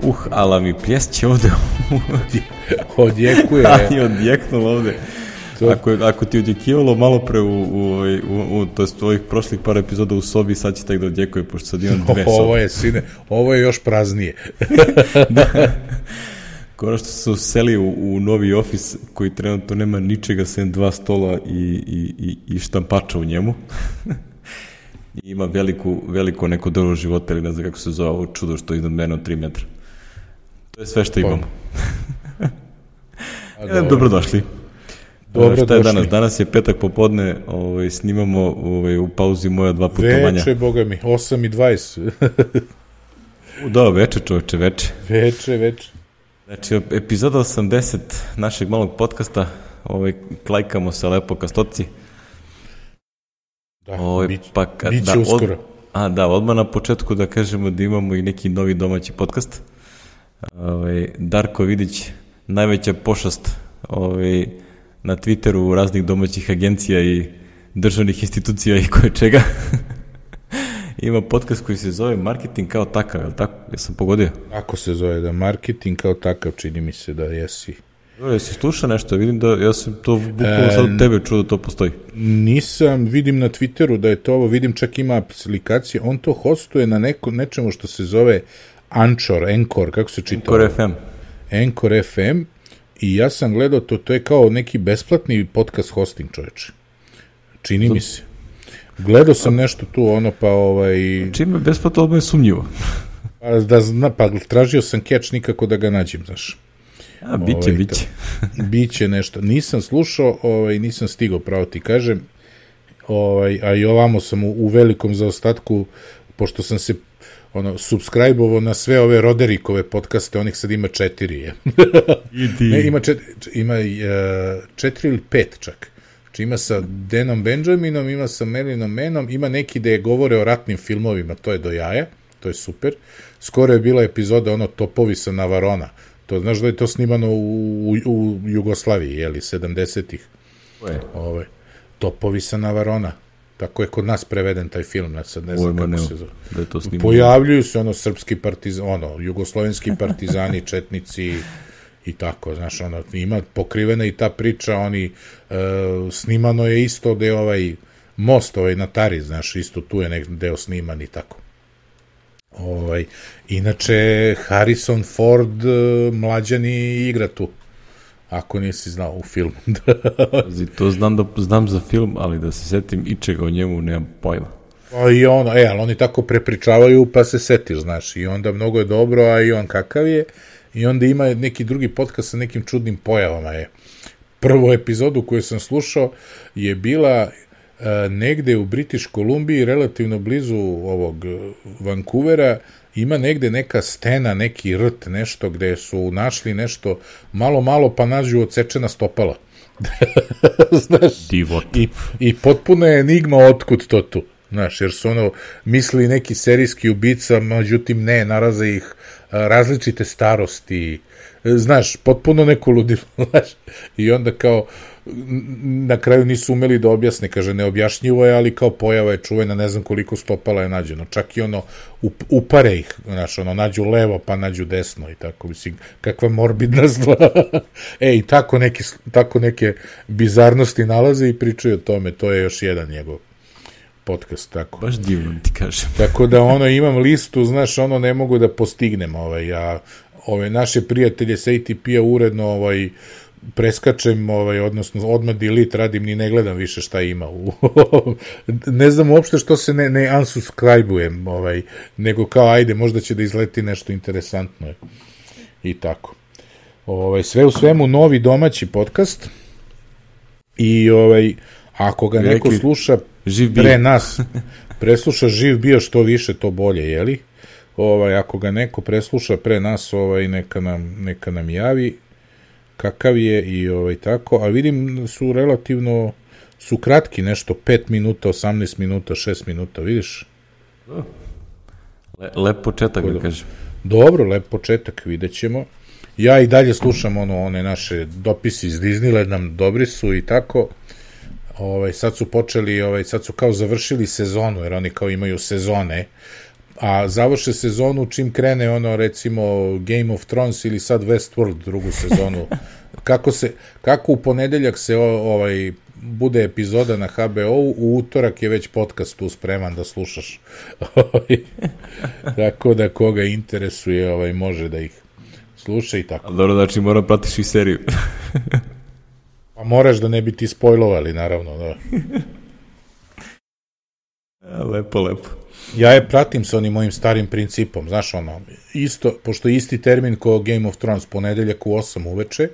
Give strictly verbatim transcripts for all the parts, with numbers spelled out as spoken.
uh, ala mi pljesće ovde. Odjekuje. Ali odjeknulo ovde. Ako, ako ti odjekivalo malo pre u, u, u, u to jest ovih prošlih par epizoda u sobi, sad će tak da odjekuje, pošto sad imam dve sobe. Ovo je, sine, ovo je još praznije. Da. Kora što se useli u, u novi ofis koji trenutno nema ničega sem dva stola i, i, i, i štampača u njemu. I ima veliku, veliko neko drvo života, ili ne znam kako se zove ovo čudo što je iznad mene od tri metra. To je sve što imamo. Dobro. Dobrodošli. Dobro šta je došli. danas? Danas je petak popodne, ovaj, snimamo ovaj, u pauzi moja dva putovanja. Veče, boga mi, osam i dvadeset. Da, veče čoveče, veče. Veče, veče. Znači, epizoda osamdeset našeg malog podcasta, ovaj, klajkamo se lepo ka stoci. Da, ovaj, bić, pa, ka, biće da, uskoro. Od, a, da, odmah na početku da kažemo da imamo i neki novi domaći podcast. Ovaj, Darko Vidić, najveća pošast ovaj, na Twitteru raznih domaćih agencija i državnih institucija i koje čega. Ima podcast koji se zove Marketing kao takav, je li tako? Ja sam pogodio. Ako se zove da marketing kao takav, čini mi se da jesi. Dobro, jesi slušao nešto? Vidim da, ja sam to bukvalno sad od tebe čuo da to postoji. Nisam, vidim na Twitteru da je to ovo, vidim čak ima aplikacije, on to hostuje na neko, nečemu što se zove Anchor, Anchor, kako se čita? Anchor F M. Anchor F M. I ja sam gledao to, to je kao neki besplatni podcast hosting, čoveče. Čini mi se. Gledao sam nešto tu, ono, pa ovaj... Čime je besplatno, odmah je sumnjivo. Pa, da zna, pa tražio sam catch, nikako da ga nađem, znaš. A, biće, ovaj, biće. Biće nešto. Nisam slušao, ovaj, nisam stigao, pravo ti kažem, ovaj, a i ovamo sam u, u velikom zaostatku, pošto sam se ono, subscribe-ovo na sve ove Roderikove podcaste, onih sad ima četiri, je. Ne, ima četiri, ima uh, četiri ili pet čak. Znači ima sa Danom Benjaminom, ima sa Marinom Manom, ima neki da je govore o ratnim filmovima, to je do jaja, to je super. Skoro je bila epizoda ono Topovi sa Navarona, to znaš da je to snimano u, u, u Jugoslaviji, jeli, sedamdesetih. Ove, Topovi sa Navarona. Tako je kod nas preveden taj film, ne, sad ne znam kako se zove. Da je to snimano. Pojavljuju se ono srpski partizani, ono, jugoslovenski partizani, četnici i tako, znaš, ono, ima pokrivena i ta priča, oni, e, snimano je isto da je ovaj most, ovaj na Tari, znaš, isto tu je nek deo sniman i tako. Ovaj, inače, Harrison Ford, mlađani igra tu. Ako nisi znao u filmu. To znam da znam za film, ali da se setim ičega o njemu, nemam pojma. O, i ono, e, ali oni tako prepričavaju, pa se setiš, znaš, i onda mnogo je dobro, a i on kakav je, i onda ima neki drugi podcast sa nekim čudnim pojavama je. Prvu epizodu koju sam slušao je bila e, negde u British Columbiji, relativno blizu ovog Vancouvera, ima negde neka stena, neki rt, nešto gde su našli nešto malo, malo pa nađu odsečena stopala. Znaš, Divot. I, i potpuno je enigma otkud to tu. Znaš, jer su ono misli neki serijski ubica, međutim ne, naraze ih različite starosti. Znaš, potpuno neko ludilo. Znaš, i onda kao na kraju nisu umeli da objasne, kaže, neobjašnjivo je, ali kao pojava je čuvena, ne znam koliko stopala je nađeno, čak i ono, up, upare ih, znaš, ono, nađu levo, pa nađu desno i tako, mislim, kakva morbidna stvar. E, i tako neke, tako neke bizarnosti nalaze i pričaju o tome, to je još jedan njegov podcast, tako. Baš divno ti kažem. Tako da, ono, imam listu, znaš, ono, ne mogu da postignem, ovaj, ja, ove naše prijatelje sa A T P-a uredno, ovaj, preskačem, ovaj, odnosno odmah delete radim, ni ne gledam više šta ima u ne znam uopšte što se ne, ne unsubscribe-ujem, ovaj, nego kao ajde, možda će da izleti nešto interesantno i tako. Ovaj, sve u svemu novi domaći podcast i ovaj, ako ga neko Rekli, sluša pre nas, presluša živ bio što više, to bolje, jeli? Ovaj, ako ga neko presluša pre nas, ovaj, neka nam, neka nam javi kakav je i ovaj tako, a vidim su relativno, su kratki nešto, pet minuta, osamnaest minuta, šest minuta, vidiš? Le, lep početak, da kažem. Dobro, lep početak, vidjet ćemo. Ja i dalje slušam ono, one naše dopisi iz Disneyland, nam dobri su i tako. Ovaj, sad su počeli, ovaj, sad su kao završili sezonu, jer oni kao imaju sezone, a završe sezonu čim krene ono recimo Game of Thrones ili sad Westworld drugu sezonu. Kako se kako u ponedeljak se o, ovaj bude epizoda na ha be ou, u utorak je već podcast tu spreman da slušaš. Tako da koga interesuje ovaj može da ih sluša i tako. Ali dobro, znači mora pratiš i seriju. Pa moraš da ne bi ti spojlovali, naravno, da. Lepo, lepo. Ja je pratim sa onim mojim starim principom, znaš ono, isto, pošto je isti termin kao Game of Thrones, ponedeljak u osam uveče,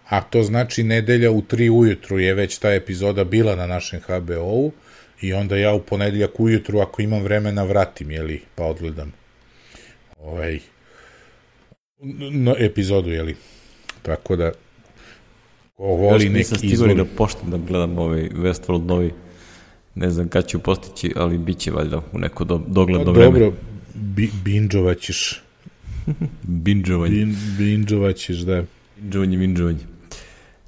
a to znači nedelja u tri ujutru je već ta epizoda bila na našem ha be ou i onda ja u ponedeljak ujutru, ako imam vremena, vratim, jeli, pa odgledam ovaj, no, epizodu, jeli. Tako da, ko voli još neki nisam stigao da poštem da gledam ovaj Westworld novi. Ne znam kad ću postići, ali bit će valjda u neko do, dogledno vreme. Dobro, bi, binđovat ćeš. Binđovanje. Bin, binđovat ćeš, da. Binđovanje, binđovanje.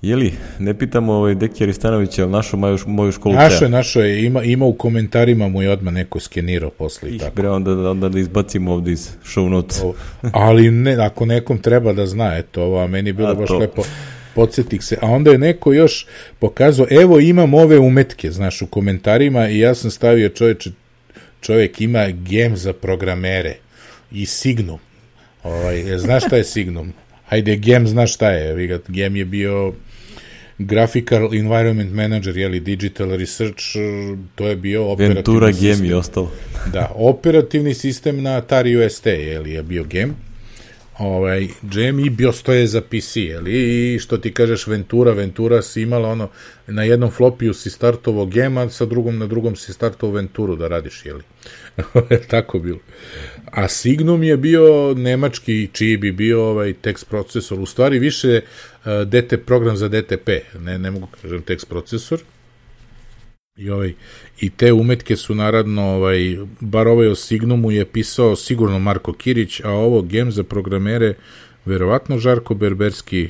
Jeli, ne pitamo ovaj Deki Aristanovića, ali našo moju, moju školu našo je, našo je, ima, ima u komentarima mu je odmah neko skenirao posle i tako. Bre, onda, onda da izbacimo ovde iz show notes. Ali ne, ako nekom treba da zna, eto, ovo, a meni bilo a baš to. Lepo. Podsjetih se, a onda je neko još pokazao, evo imam ove umetke, znaš, u komentarima i ja sam stavio čovječe, čovjek ima gem za programere i Signum. Ovaj, znaš šta je Signum? Hajde, gem znaš šta je, gem je bio Graphical Environment Manager, jeli, Digital Research, to je bio operativni Ventura sistem. Gem i ostalo. Da, operativni sistem na Atari U S T, jeli, je bio gem. Ovaj, Gem i BIOS, to je za P C, jeli, i što ti kažeš Ventura, Ventura si imala ono, na jednom flopiju si startovo Gem, a sa drugom, na drugom si startovo Venturu da radiš, jeli. Tako bilo. A Signum je bio nemački, čiji bi bio ovaj tekst procesor, u stvari više uh, D T program za D T P, ne, ne mogu kažem tekst procesor. I, ovaj, i te umetke su naravno, ovaj, bar ovaj o Signumu je pisao sigurno Marko Kirić, a ovo gem za programere verovatno Žarko Berberski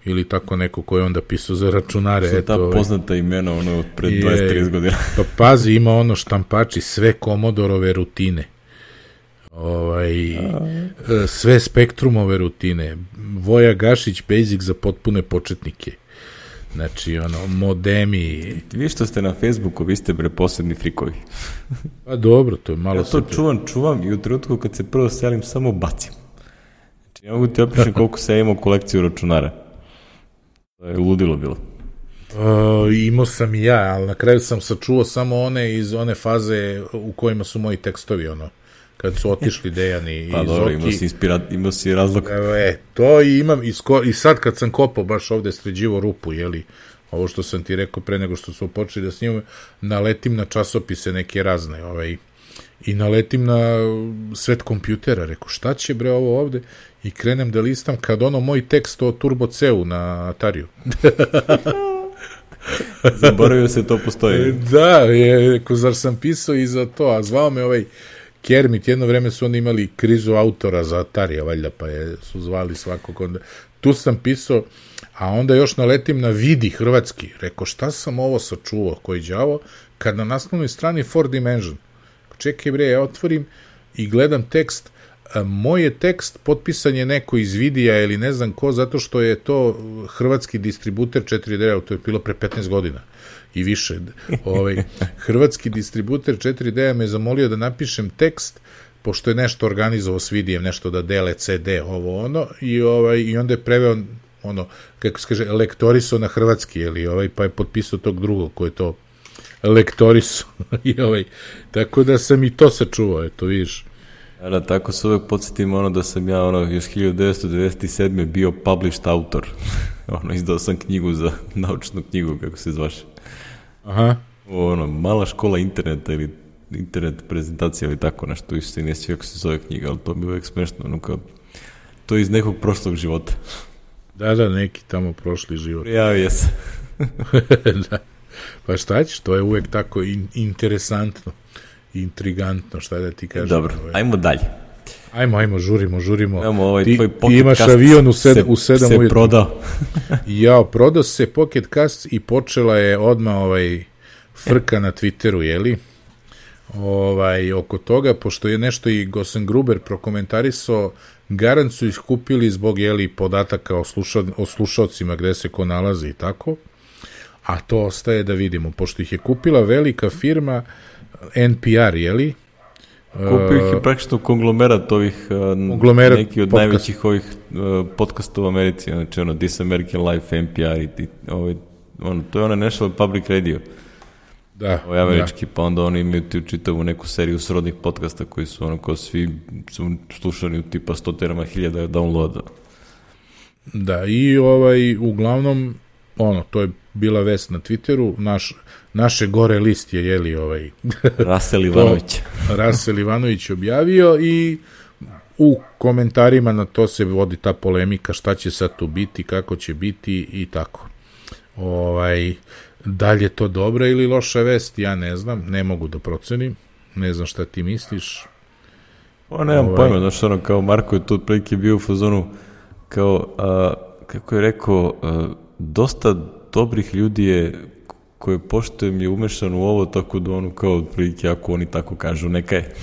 ili tako neko koji je onda pisao za računare. Sve ta ovaj, poznata imena ono od pred dvadeset trideset godina. Pa pazi, ima ono štampači, sve Komodorove rutine. Ovaj, sve Spektrumove rutine. Voja Gašić Basic za potpune početnike. Znači, ono, modemi... Vi što ste na Facebooku, vi ste bre posebni frikovi. Pa dobro, to je malo... Ja to super. čuvam, čuvam i u trenutku kad se prvo selim, samo bacim. Znači, ja mogu ti opišem koliko se ja imao kolekciju računara. To je ludilo bilo. Uh, imao sam i ja, ali na kraju sam sačuo samo one iz one faze u kojima su moji tekstovi, ono, kad su otišli Dejani pa i dobro, Zoki. imao si, inspira, imao si razlog. E, to i imam, i, sko, i sad kad sam kopao baš ovde sređivo rupu, jeli, ovo što sam ti rekao pre nego što smo počeli da snimamo, naletim na časopise neke razne, ovaj, i naletim na svet kompjutera, rekao, šta će bre ovo ovde? I krenem da listam kad ono moj tekst o Turbo C-u na Atariju. Zaboravio se, to postoji. Da, je, rekao, zar sam pisao i za to, a zvao me ovaj Kermit, jedno vreme su oni imali krizu autora za Atarija, valjda, pa je, su zvali svakog onda. Tu sam pisao, a onda još naletim na Vidi hrvatski. Rekao, šta sam ovo sačuvao, koji đavo, kad na naslovnoj strani four dimension. Čekaj bre, ja otvorim i gledam tekst, a moj je tekst, potpisan je neko iz Vidija ili ne znam ko, zato što je to hrvatski distributer četiri D, to je bilo pre petnaest godina i više. Ovaj, hrvatski distributer četiri D me zamolio da napišem tekst, pošto je nešto organizovao s Vidijem, nešto da dele C D, ovo ono, i, ovaj, i onda je preveo, ono, kako se kaže, lektoriso na hrvatski, ili, ovaj, pa je potpisao tog drugog koji je to lektoriso. I, ovaj, tako da sam i to sačuvao, eto, vidiš. Da, tako se uvek podsjetim ono da sam ja ono još hiljadu devetsto devedeset sedme bio published autor. Ono, izdao sam knjigu za naučnu knjigu, kako se zvaše. Aha. Ono, mala škola interneta ili internet prezentacija ili tako nešto, više se ne svi kako se zove knjiga, ali to mi je uvek smešno, ono kao, to je iz nekog prošlog života. Da, da, neki tamo prošli život. Prijavio se. Da. Pa šta ćeš, to je uvek tako in, interesantno. Intrigantno, šta da ti kažem. Dobro, ovaj. Ajmo dalje. Ajmo, ajmo, žurimo, žurimo. Ajmo, ovaj ti, tvoj ti Pocket imaš Cast avion u, sed, se, u sedam se ujutru. prodao. Jao, prodao se Pocket Cast i počela je odmah ovaj frka na Twitteru, jeli? ovaj, oko toga, pošto je nešto i Gosen Gruber prokomentarisao, garant su ih kupili zbog, jeli, podataka o, sluša, o slušalcima gde se ko nalazi i tako, a to ostaje da vidimo, pošto ih je kupila velika firma N P R, jeli? Kupio ih je praktično konglomerat ovih, konglomerat neki od podcast. Najvećih ovih uh, podcasta u Americi, znači ono This American Life, N P R i, i ovaj, ono, to je ono National Public Radio. Da, ovaj američki, da. Pa onda oni imaju ti čitavu neku seriju srodnih podcasta koji su ono kao svi su slušani u tipa stotinama hiljada downloada. Da, i ovaj, uglavnom, ono, to je bila vest na Twitteru, naš, naše gore list je, jeli, ovaj... Rasel Ivanović. Rasel Ivanović objavio i u komentarima na to se vodi ta polemika šta će sad tu biti, kako će biti i tako. Ovaj... Da li je to dobra ili loša vest, ja ne znam, ne mogu da procenim, ne znam šta ti misliš. O, nemam ovaj... pojma, znaš, ono, kao Marko je tu otprilike bio u fazonu, kao, a, kako je rekao, a, dosta dobrih ljudi je, koje poštujem je umešan u ovo, tako da ono, kao otprilike, ako oni tako kažu, neka je.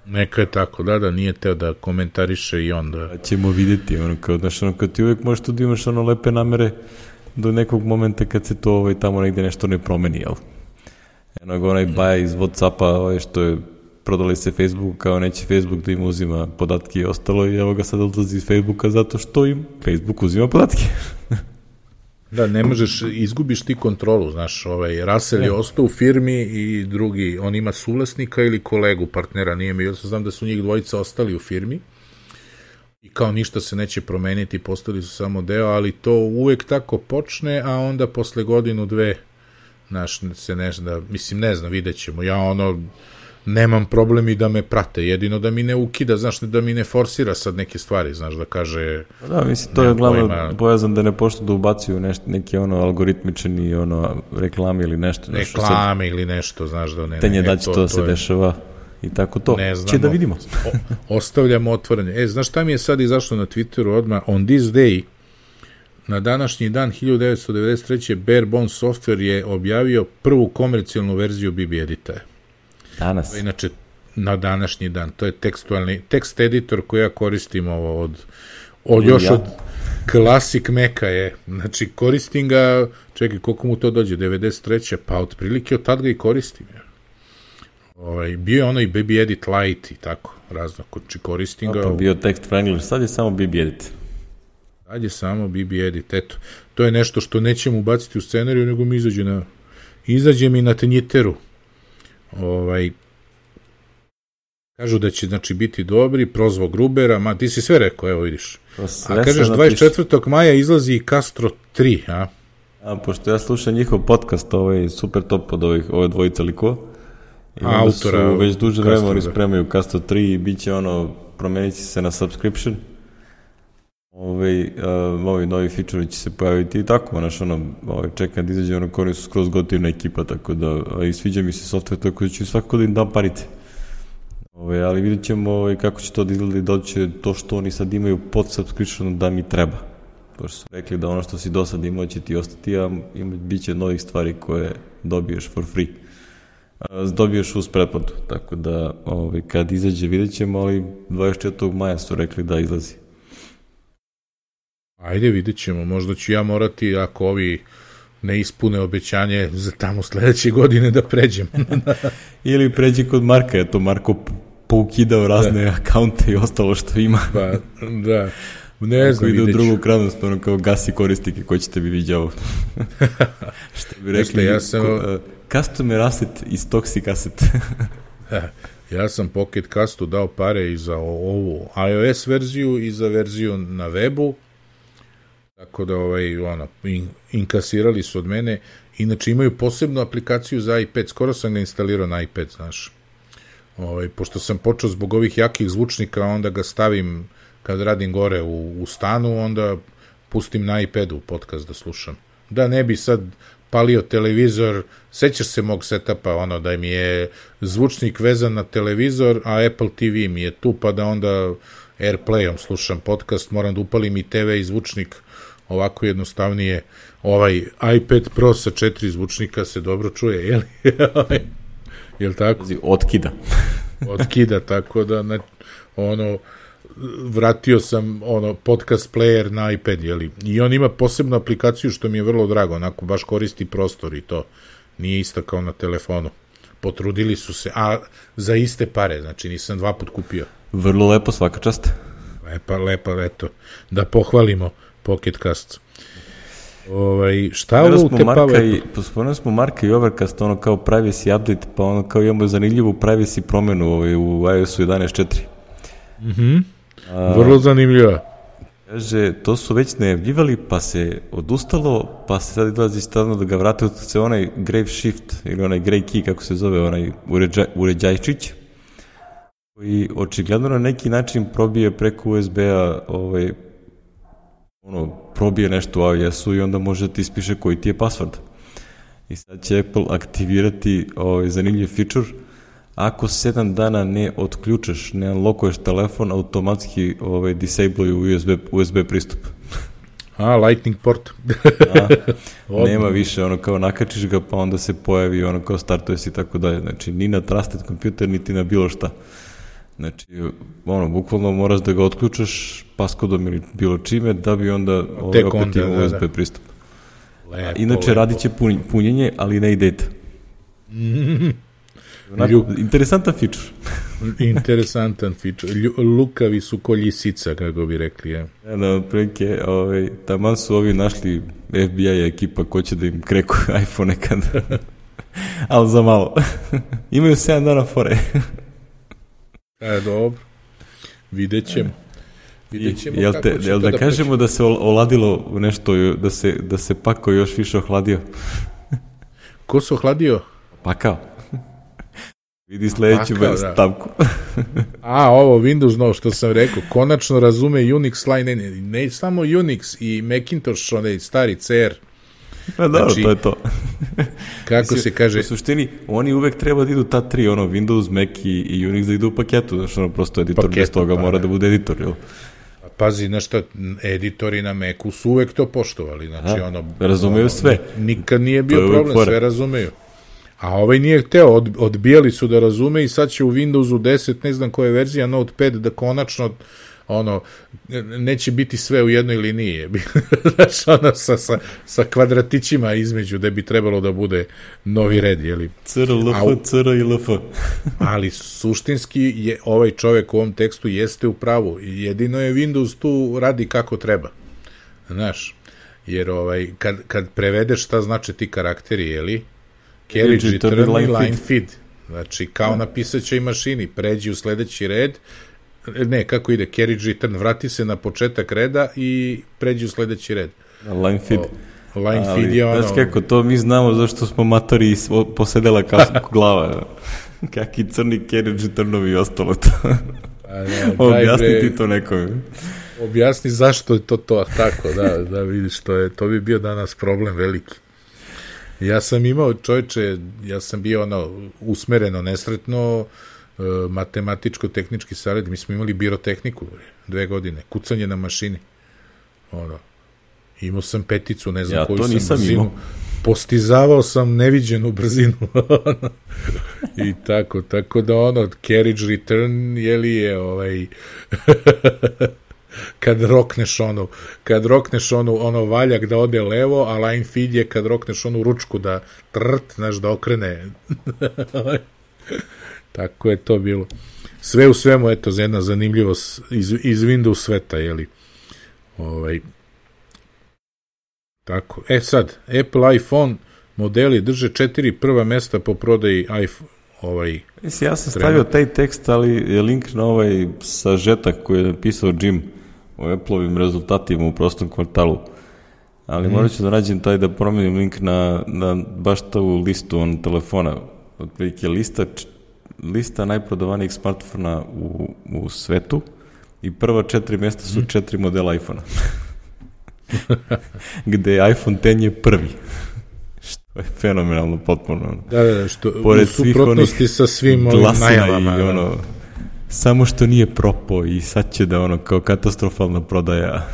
Neka je tako, da, da, nije teo da komentariše i onda. A ćemo vidjeti, ono, kao, znaš, ono, kad ti uvijek možeš tu da imaš ono lepe namere, do nekog momenta kad se to ovaj, tamo negde nešto ne promeni, jel? Eno ga onaj baja iz Whatsappa ovaj, što je prodali se Facebooku kao neće Facebook da im uzima podatke i ostalo i evo ga sad odlazi iz Facebooka zato što im Facebook uzima podatke. Da, ne možeš, izgubiš ti kontrolu, znaš, ovaj, Rasel je ostao u firmi i drugi, on ima suvlasnika ili kolegu, partnera, nije mi, ja znam da su njih dvojica ostali u firmi. I kao ništa se neće promeniti, postali su samo deo, ali to uvek tako počne, a onda posle godinu, dve, znaš, se ne zna, mislim, ne znam, vidjet ćemo. Ja ono, nemam problem i da me prate, jedino da mi ne ukida, znaš, da mi ne forsira sad neke stvari, znaš, da kaže... Da, mislim, to je glavno bojazan da ne pošto da ubacuju nešto, neki ono algoritmični ono reklame ili nešto. Reklame ili nešto, znaš, da ne... Tenje da će to, to se je... dešava... I tako to. Ne znamo. Će da vidimo. o, ostavljamo otvorene. E, znaš šta mi je sad izašlo na Twitteru odmah? On this day, na današnji dan hiljadu devetsto devedeset treće. Barebones Software je objavio prvu komercijalnu verziju B B Edita. Danas? Inače, na današnji dan. To je tekstualni, tekst editor koji ja koristim ovo od, od još ja. od Classic Maca je. Znači, koristim ga, čekaj, koliko mu to dođe? devedeset treće. Pa otprilike od tad ga i koristim. Ja. Ovaj, bio je ono i B B Edit Lite i tako, razno, či koristim ga. Pa bio tekst Wrangler, sad je samo B B Edit. Sad je samo B B Edit, eto. To je nešto što nećemo ubaciti u scenariju, nego mi izađe na, izađe mi na Tenjiteru. Ovaj, kažu da će, znači, biti dobri, prozvo Grubera, ma, ti si sve rekao, evo vidiš. A kažeš, dvadeset četvrtog maja izlazi i Castro tri, a? A, pošto ja slušam njihov podcast, ovaj super top od ovih, ove dvojice likova. I onda autora, su već duže vreme oni spremaju Castro tri i bit će ono, promenit će se na subscription. Ove, uh, ovi novi feature će se pojaviti i tako, znaš, ono, ovaj, čekam da izađe ono, koji su skroz gotivna ekipa, tako da, i sviđa mi se software, tako da ću svakako da im dam parice. Ove, ali vidjet ćemo ove, kako će to da izgleda i da će to što oni sad imaju pod subscription da mi treba. Pošto su rekli da ono što si do sad imao će ti ostati, a ima, bit će novih stvari koje dobiješ for free. Dobiješ uz pretplatu, tako da ovaj, kad izađe vidjet ćemo, ali dvadeset četvrtog maja su rekli da izlazi. Ajde, vidjet ćemo, možda ću ja morati, ako ovi ne ispune obećanje, za tamo sledeće godine da pređem. Ili pređi kod Marka, eto Marko poukidao razne da. akaunte i ostalo što ima. Pa, da, ne znam, ide u drugu krajnost, ono kao gasi koristike koji ćete bi viđao. Što bi rekli, ja sam... Ko, Customer asset is toxic asset. Ja sam Pocket Castu dao pare i za ovu iOS verziju i za verziju na webu, tako da ovaj, ono, in, inkasirali su od mene. Inače imaju posebnu aplikaciju za iPad, skoro sam ga instalirao na iPad, znaš. Ovaj, pošto sam počeo zbog ovih jakih zvučnika, onda ga stavim kad radim gore u, u stanu, onda pustim na iPadu podcast da slušam. Da ne bi sad palio televizor, sećaš se mog setapa, ono da mi je zvučnik vezan na televizor, a Apple T V mi je tu, pa da onda Airplayom slušam podcast, moram da upalim i T V i zvučnik, ovako jednostavnije. Ovaj iPad Pro sa četiri zvučnika se dobro čuje, jel? Jel tako? Otkida. Otkida, tako da, ne, ono, vratio sam ono podcast player na iPad, jeli? I on ima posebnu aplikaciju što mi je vrlo drago, onako baš koristi prostor i to. Nije isto kao na telefonu. Potrudili su se, a za iste pare, znači nisam dva put kupio. Vrlo lepo, svaka čast. Lepa, lepa, eto, da pohvalimo Pocket Cast. Ovaj, šta ovo u te pave? Spomenuli smo Marka i Overcast, ono kao privacy update, pa ono kao imamo zanimljivu privacy promenu ovaj, u iOS-u jedanaest četiri. Mhm. Vrlo zanimljiva. Kaže, to su već najavljivali, pa se odustalo, pa se sad izlazi stavno da ga vrate, se onaj Grave Shift, ili onaj Grey Key, kako se zove, onaj uređaj, uređajčić, koji očigledno na neki način probije preko U S B-a, ovaj, ono, probije nešto u iOS-u i onda može da ti ispiše koji ti je password. I sad će Apple aktivirati ovaj zanimljiv feature. Ako sedam dana ne otključaš, ne unlockuješ telefon, automatski ovaj, disabluju U S B, U S B pristup. A, Lightning port. A, nema više, ono kao nakačiš ga, pa onda se pojavi, ono kao startuje si i tako dalje. Znači, ni na trusted kompjuter, niti na bilo šta. Znači, ono, bukvalno moraš da ga otključaš paskodom ili bilo čime, da bi onda ovaj, opet onda, imao U S B da, da. pristup. Lepo, inače, lepo. Radit će pun, punjenje, ali ne i data. Onako, Lju... interesantan feature. Interesantan feature. Lju... Lukavi su ko ljisica, kako bi rekli. Je. Ja, da, otprilike, ovaj, taman su ovi našli F B I ekipa ko će da im kreku iPhone nekad. Ali za malo. Imaju sedam dana fore. E, dobro. Vidjet ćemo. Vidjet ćemo jel te, kako će jel da, da kažemo preći. Da se oladilo u nešto, da se, da se Pako još više ohladio? Ko se ohladio? Pakao. Vidi sledeću Pakao, stavku. Da. A, ovo Windows, no, što sam rekao, konačno razume Unix line, ne, ne samo Unix i Macintosh, onaj stari C R. Pa dobro, znači, to je to. Kako Mislim, se kaže? U suštini, oni uvek treba da idu ta tri, ono, Windows, Mac i, i Unix da idu u paketu, znači ono, prosto editor paketu, bez toga pa, mora ne. da bude editor, jel? Pazi, znaš šta, editori na Macu su uvek to poštovali, znači A, ono... razumeju ono, sve. Nikad nije bio problem, sve razumeju. A ovaj nije hteo, od, odbijali su da razume i sad će u Windowsu deset, ne znam koja je verzija, Notepad, da konačno ono, neće biti sve u jednoj liniji. Znaš, ono, sa, sa, sa kvadratićima između, da bi trebalo da bude novi red, jeli? C R L F, C R I L F. Ali suštinski je ovaj čovek u ovom tekstu jeste u pravu. Jedino je Windows tu radi kako treba. Znaš, jer ovaj, kad, kad prevedeš šta znači ti karakteri, jeli? Carriage, return i line, line feed. Znači, kao na pisaćoj mašini, pređi u sledeći red, ne, kako ide, carriage, return, vrati se na početak reda i pređi u sledeći red. Line feed. O, line ali, feed je ono... Znaš kako, to mi znamo zašto smo matori i posedela kao glava. Kaki crni carriage, returnovi i ostalo to. Objasni ti to nekome. Objasni zašto je to to tako, da, da vidiš, to, je, to bi bio danas problem veliki. Ja sam imao, čovječe, ja sam bio ono, usmereno, nesretno, e, matematičko-tehnički savjet, mi smo imali birotehniku dve godine, kucanje na mašini. Ono, imao sam peticu, ne znam ja, koju sam brzinu. Imao. Postizavao sam neviđenu brzinu. I tako, tako da ono, carriage return, jeli je ovaj... kad rokneš onu, kad rokneš onu, ono valjak da ode levo, a line feed je kad rokneš onu ručku da trt, znaš, da okrene. Tako je to bilo. Sve u svemu, eto, za jedna zanimljivost iz, iz Windows sveta, jeli. Ovaj. Tako. E sad, Apple iPhone modeli drže četiri prva mesta po prodaji iPhone. Ovaj, Mislim, ja sam stavio taj tekst, ali je link na ovaj sažetak koji je napisao Jim o Apple-ovim rezultatima u prostom kvartalu. Ali mm. morat ću da nađem taj da promenim link na, na baš tu listu on telefona. Otprilike lista, lista najprodavanijih smartfona u, u svetu i prva četiri mjesta su mm. četiri modela iPhone-a. Gde iPhone deset je prvi. Što je fenomenalno potpuno. Da, da, što u suprotnosti sa svim ovim najavama. I ono, samo što nije propao i sad će da ono kao katastrofalna prodaja.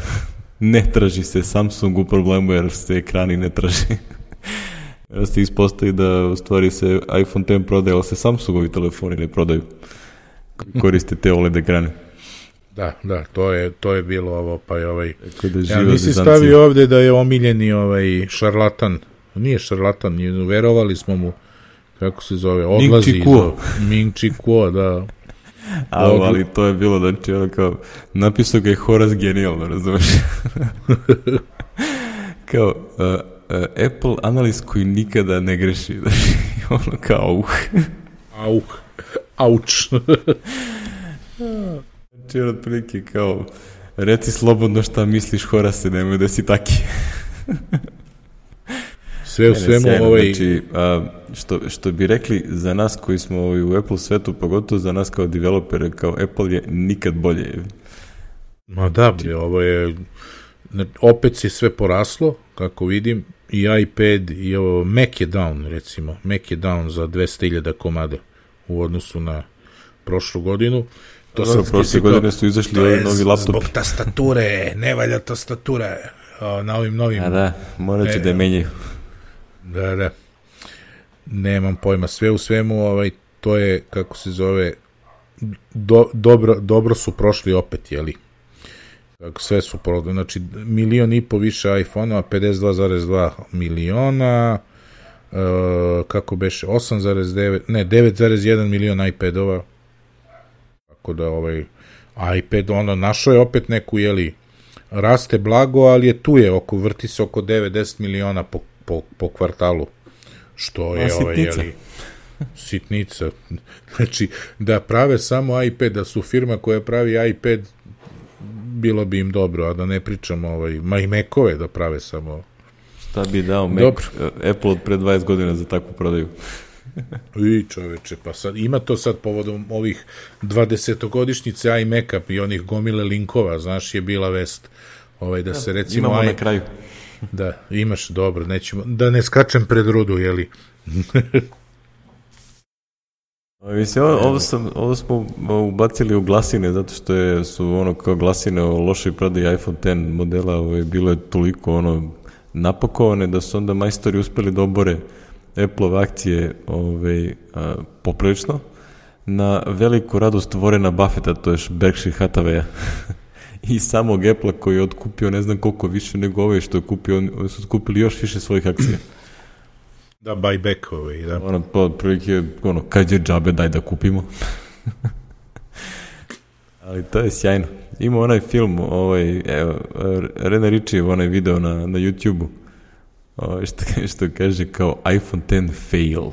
Ne traži se Samsung u problemu jer se ekrani ne traži. Ja se ispostavi da u stvari se iPhone X prodaje, ali se Samsungovi telefoni ne prodaju. Koriste te O L E D ekrane. Da, da, to je, to je bilo ovo, pa je ovaj... Da ja, nisi stavio ovde da je omiljeni ovaj šarlatan, nije šarlatan, verovali smo mu, kako se zove, odlazi iz Ming Chi Kuo, da... A, ali to je bilo, znači, ono kao, napisao ga je Horace genijalno, razumeš? Kao, uh, uh, Apple analist koji nikada ne greši, znači, ono kao, uh. Auh, auč. Znači, ono, otprilike, kao, reci slobodno šta misliš, Horace, nemoj da si taki. Sve u svemu sjajno, ovaj... Znači, a, što, što bi rekli za nas koji smo ovaj, u Apple svetu, pogotovo za nas kao developere, kao Apple je nikad bolje. Ma da, bre, ovo je... Opet je sve poraslo, kako vidim, i iPad, i ovo, Mac je down, recimo. Mac je down za dvesta hiljada komada u odnosu na prošlu godinu. To Dobro, prošle godine su izašli ovi novi laptopi. Zbog tastature, ne valja tastature na ovim novim... A da, morat će e, da je menjaju. Da, da. Nemam pojma. Sve u svemu, ovaj, to je, kako se zove, do, dobro, dobro su prošli opet, jeli? Sve su prodali. Znači, milion i po više iPhone-ova, pedeset dva zarez dva miliona, uh, kako beše, osam zarez devet, ne, devet zarez jedan milion iPad-ova. Tako da, ovaj, iPad, ono, našao je opet neku, jeli, raste blago, ali je tu je, oko, vrti se oko devet do deset miliona po Po, po kvartalu, što je, ovaj, jeli, sitnica. Znači, da prave samo iPad, da su firma koja pravi iPad, bilo bi im dobro, a da ne pričamo, ovaj, ma i Mac-ove da prave samo. Šta bi dao Mac, dobro. Apple od pre dvadeset godina za takvu prodaju? I čoveče, pa sad, ima to sad povodom ovih dvadesetogodišnjice iMac-a i onih gomile linkova, znaš, je bila vest, ovaj, da se recimo... Imamo na kraju. Da, imaš, dobro, nećemo, da ne skačem pred rudu, jeli? Mislim, ovo, ovo, sam, ovo smo ubacili u glasine, zato što je, su ono kao glasine o lošoj prodaji iPhone X modela, ovo, bilo je toliko ono napakovane da su onda majstori uspeli da obore Apple-ove akcije ovaj, a, poprilično na veliku radost Warrena Buffetta, to je Berkshire Hathaway-a. I samog Apple-a koji je otkupio ne znam koliko više nego ove što je kupio, oni su otkupili još više svojih akcija. Da, buyback ove, da. Ono, po prilike, ono, kad je džabe, daj da kupimo. Ali to je sjajno. Ima onaj film, ovaj, evo, Rene Ritchie, onaj video na, na YouTube-u, ovaj, što, što kaže kao iPhone X fail.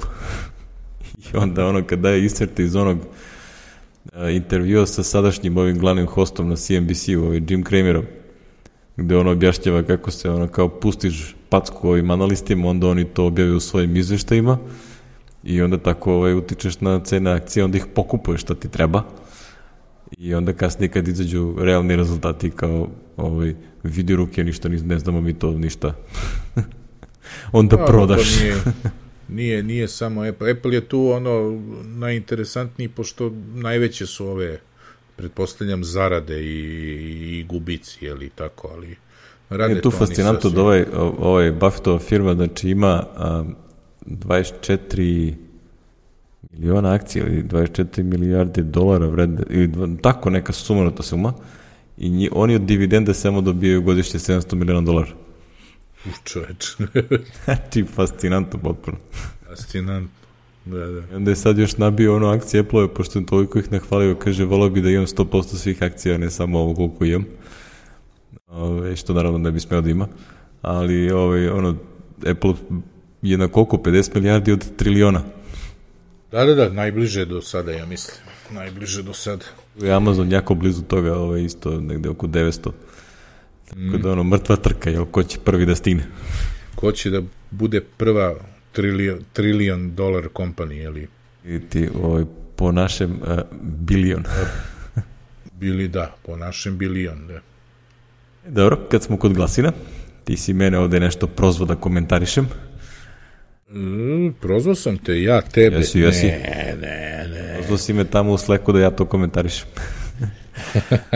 I onda ono, kad daje iscrte iz onog intervjua sa sadašnjim ovim glavnim hostom na C N B C-u, ovaj Jim Cramerom, gde ono objašnjava kako se ono kao pustiš packu ovim analistima, onda oni to objavaju u svojim izveštajima i onda tako ovaj, utičeš na cene akcije, onda ih pokupuješ šta ti treba i onda kasnije kad izađu realni rezultati kao ovaj, vidi ruke, ništa ne znamo mi to ništa. Onda da, prodaš. Nije, nije, nije samo Apple. Apple je tu ono najinteresantniji, pošto najveće su ove, pretpostavljam, zarade i, i gubici, jeli tako, ali rade je tu fascinantno da ovaj, ovaj Buffettova firma, znači ima um, dvadeset četiri miliona akcija ili dvadeset četiri milijarde dolara vredne, ili tako neka sumanuta suma, i nji, oni od dividende samo dobijaju godišnje sedamsto miliona dolara. U čoveč. Znači, fascinantno potpuno. Fascinantno, da, da. I onda je sad još nabio ono akcije Apple-ove, pošto je toliko ih nahvalio, kaže, volao bi da imam sto posto svih akcija, ne samo ovo koliko imam. Ove, što naravno ne bi smeo da ima. Ali, ove, ono, Apple je na koliko? pedeset milijardi od triliona. Da, da, da, najbliže do sada, ja mislim. Najbliže do sada. I Amazon jako blizu toga, ove, isto negde oko devetsto. Tako mm. da, ono, mrtva trka, jel, ko će prvi da stigne? Ko će da bude prva trilion, trilion dolar kompanija, jeli? I ti, ovaj, po našem uh, bilion. Bili, da, po našem bilion, da. Dobro, kad smo kod glasina, ti si mene ovde nešto prozvao da komentarišem. Mm, prozvao sam te, ja tebe. Jesi, jesi. Ne, ne, ne. Prozvao si me tamo u Slacku da ja to komentarišem.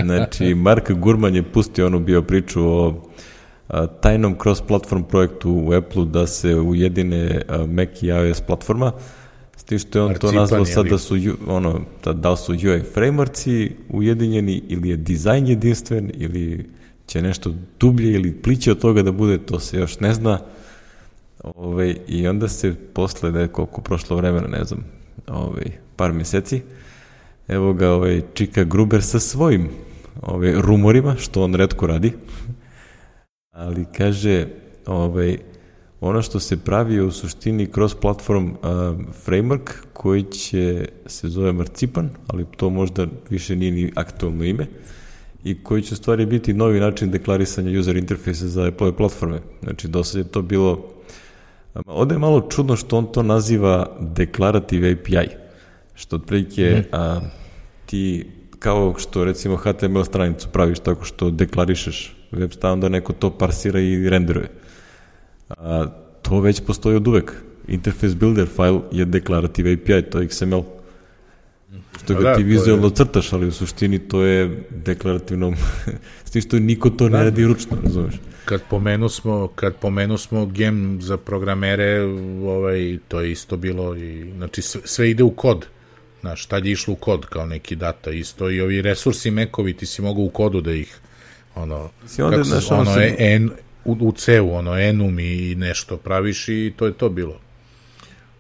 Znači, Mark Gurman je pustio onu bio priču o tajnom cross-platform projektu u Apple-u da se ujedine Mac i iOS platforma, s tim što je on Marcipan, to nazvao sad da su, ono, da, da su U I frameworkci ujedinjeni ili je dizajn jedinstven ili će nešto dublje ili pliće od toga da bude, to se još ne zna. Ove, I onda se posle da je koliko prošlo vremena, ne znam, ove, par meseci, evo ga ovaj Čika Gruber sa svojim ove, rumorima, što on retko radi, ali kaže, ovaj, ono što se pravi je u suštini cross-platform uh, framework koji će se zove Marcipan, ali to možda više nije ni aktualno ime, i koji će u stvari biti novi način deklarisanja user interfejsa za Apple platforme. Znači, do sad je to bilo... Ovde je malo čudno što on to naziva Declarative A P I, što otprilike mm. a, ti, kao što recimo H T M L stranicu praviš tako što deklarišeš web stav, onda neko to parsira i renderuje. A, to već postoji od uvek. Interface Builder file je Declarative A P I, to je X M L. Što ga da, ti vizualno je... crtaš, ali u suštini to je deklarativno, s tim što niko to da. ne radi ručno, razumeš? Kad pomenu smo, kad pomenu smo gem za programere, ovaj, to je isto bilo, i, znači sve, sve ide u kod, znaš, tad je išlo u kod kao neki data, isto i ovi resursi Macovi, ti si mogao u kodu da ih, ono, kako se, ono, ono se... en, u, u C-u, ono, enum i nešto praviš i to je to bilo.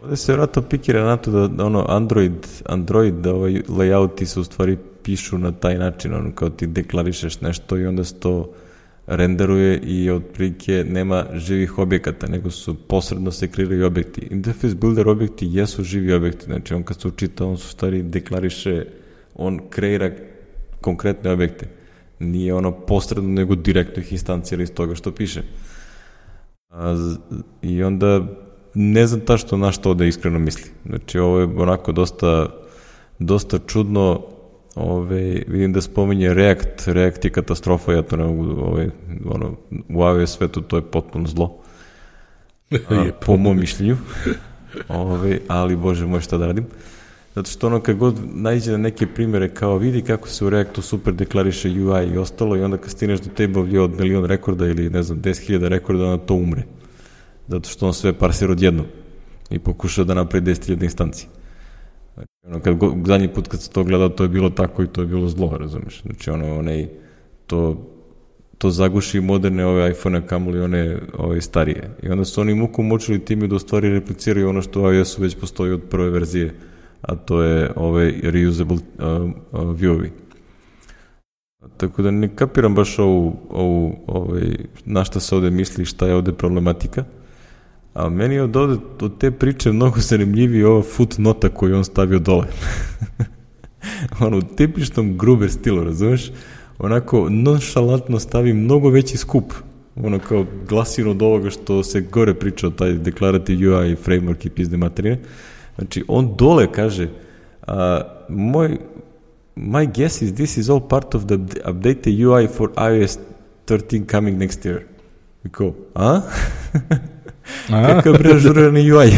Ovde se vratno pikira na to da, da ono Android, Android da ovaj layouti se u stvari pišu na taj način, ono kao ti deklarišeš nešto i onda se to renderuje i otprilike nema živih objekata, nego su posredno se kreiraju objekti. Interface Builder objekti jesu živi objekti, znači on kad se učita, on su stvari deklariše, on kreira konkretne objekte. Nije ono posredno, nego direktno ih instancira iz toga što piše. A, I onda ne znam ta što na što ovde iskreno misli. Znači ovo je onako dosta, dosta čudno. Ove, vidim da spominje React, React je katastrofa, ja to ne mogu, ove, ono, u iOS svetu to je potpuno zlo, a, po mom mišljenju, ove, ali bože moj šta da radim, zato što ono kad god nađe na neke primjere kao vidi kako se u Reactu super deklariše U I i ostalo i onda kad stineš do table od milion rekorda ili ne znam deset hiljada rekorda, onda to umre, zato što on sve parsira odjednom i pokuša da napravi deset hiljada instanci. Znači, ono, kad go, zadnji put kad se to gledao, to je bilo tako i to je bilo zlo, razumeš? Znači, ono, onaj, to, to zaguši moderne ove iPhone-a, kamoli one ove starije. I onda su oni muku mučili time da u stvari repliciraju ono što u iOS-u već postoji od prve verzije, a to je ove reusable uh, uh, view-ovi. Tako da ne kapiram baš ovu, ovu ovaj, na šta se ovde misli, šta je ovde problematika. A meni je od, ovde, od te priče mnogo zanimljiviji ova footnota koju on stavio dole. Ono, u tipičnom Gruber stilu, razumeš? Onako, nonšalantno stavi mnogo veći skup. Ono, kao glasino od ovoga što se gore priča o taj Declarative U I framework i pizde materine. Znači, on dole kaže, uh, moj, my guess is this is all part of the updated U I for iOS thirteen coming next year. I kao, a? Kakav preažurani U I.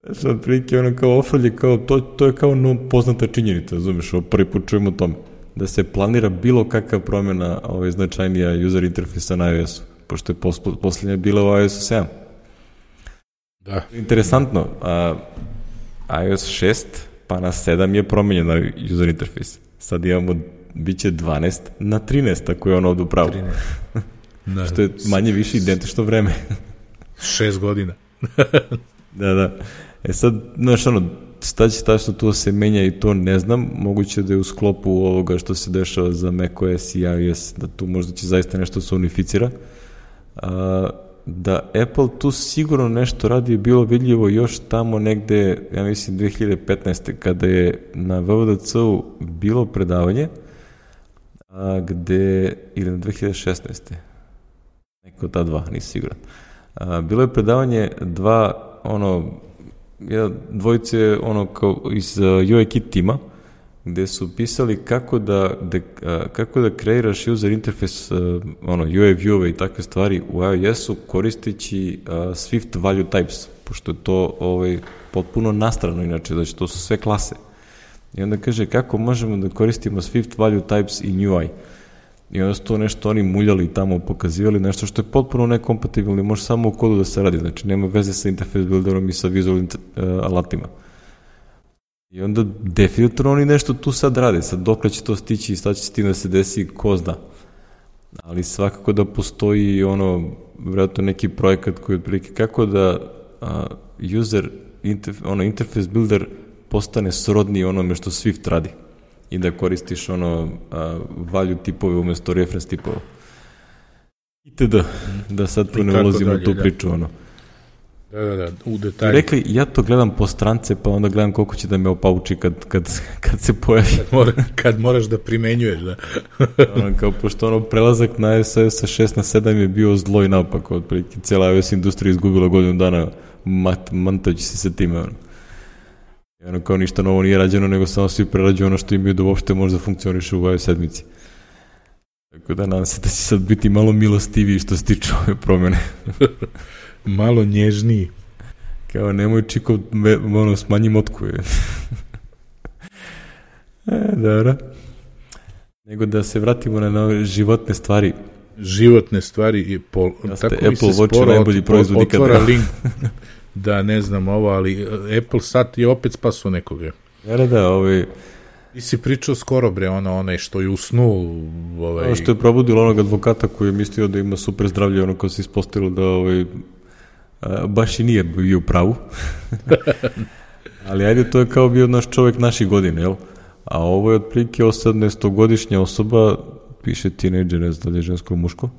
Znači, od prilike ono kao ofrlje, kao, to, to je kao no, poznata činjenica, razumiješ, ovo prvi put čujemo o tome, da se planira bilo kakva promjena ovaj, značajnija user interfejsa na iOS-u, pošto je pos, posljednja bila u iOS-u sedam. Da. Interesantno, a, iOS šest pa na sedam je promenjena user interfejs. Sad imamo, bit će dvanaest na trinaest, ako je ono ovdje upravo. Da, što je manje više identično vreme. Šest godina. Da, da. E sad, znaš, ono, šta će tačno tu se menja i to ne znam, moguće da je u sklopu ovoga što se dešava za macOS i iOS, da tu možda će zaista nešto se unificira. A, da Apple tu sigurno nešto radi je bilo vidljivo još tamo negde, ja mislim dve hiljade petnaeste. kada je na W W D C-u bilo predavanje, a, gde, ili na dve hiljade šesnaeste. Neko ta dva, nisi siguran. A, bilo je predavanje dva, ono, jedna dvojice, ono, kao iz uh, U I Kit tima, gde su pisali kako da, de, uh, kako da kreiraš user interface, uh, ono, U I view-ove i takve stvari u iOS-u koristeći uh, Swift value types, pošto je to ovaj, potpuno nastrano, inače, znači to su sve klase. I onda kaže kako možemo da koristimo Swift value types in U I. I onda su to nešto oni muljali tamo, pokazivali nešto što je potpuno nekompatibilno i može samo u kodu da se radi, znači nema veze sa interface builderom i sa vizualnim uh, alatima. I onda definitivno oni nešto tu sad rade, sad dokle će to stići i sad će s tim da se desi, ko zna. Ali svakako da postoji ono, vjerojatno neki projekat koji je otprilike kako da a, user interf, ono, interface builder postane srodni onome što Swift radi i da koristiš ono a, value tipove umesto reference tipova. Itd. Da sad tu ne ulazimo u tu priču, ono. Da, da, da, u detalju. Rekli, ja to gledam po strance, pa onda gledam koliko će da me opauči kad, kad, kad se pojavi. Kad, mora, kad moraš da primenjuješ, da. ono, kao, pošto ono, prelazak na iOS sa šest na sedam je bio zlo i naopako, otprilike, cijela iOS industrija izgubila godinu dana mat, mantajući se sa time, ono. I ono, kao ništa novo nije rađeno, nego samo svi prerađuju ono što imaju da uopšte može da funkcioniše u iOS sedmici. Tako da nadam se da će sad biti malo milostiviji što se tiče ove promjene. Malo nježniji. Kao, nemoj čiko, ono, smanji motku. Je. e, dobro. Nego da se vratimo na nove životne stvari. Životne stvari i pol, tako mi se sporo od, otvara link da ne znam ovo, ali Apple sat je opet spaso nekoga. Da, da, ovaj... Ti si pričao skoro, bre, ono, onaj što je usnuo... Ovaj... Ono što je probudilo onog advokata koji je mislio da ima super zdravlje, ono ko se ispostavilo da ovaj, a, baš i nije bio u pravu. Ali ajde, to je kao bio naš čovjek naših godine, jel? A ovo je otprilike osamnaestogodišnja osoba, piše teenager, ne znam da je žensko ili muško.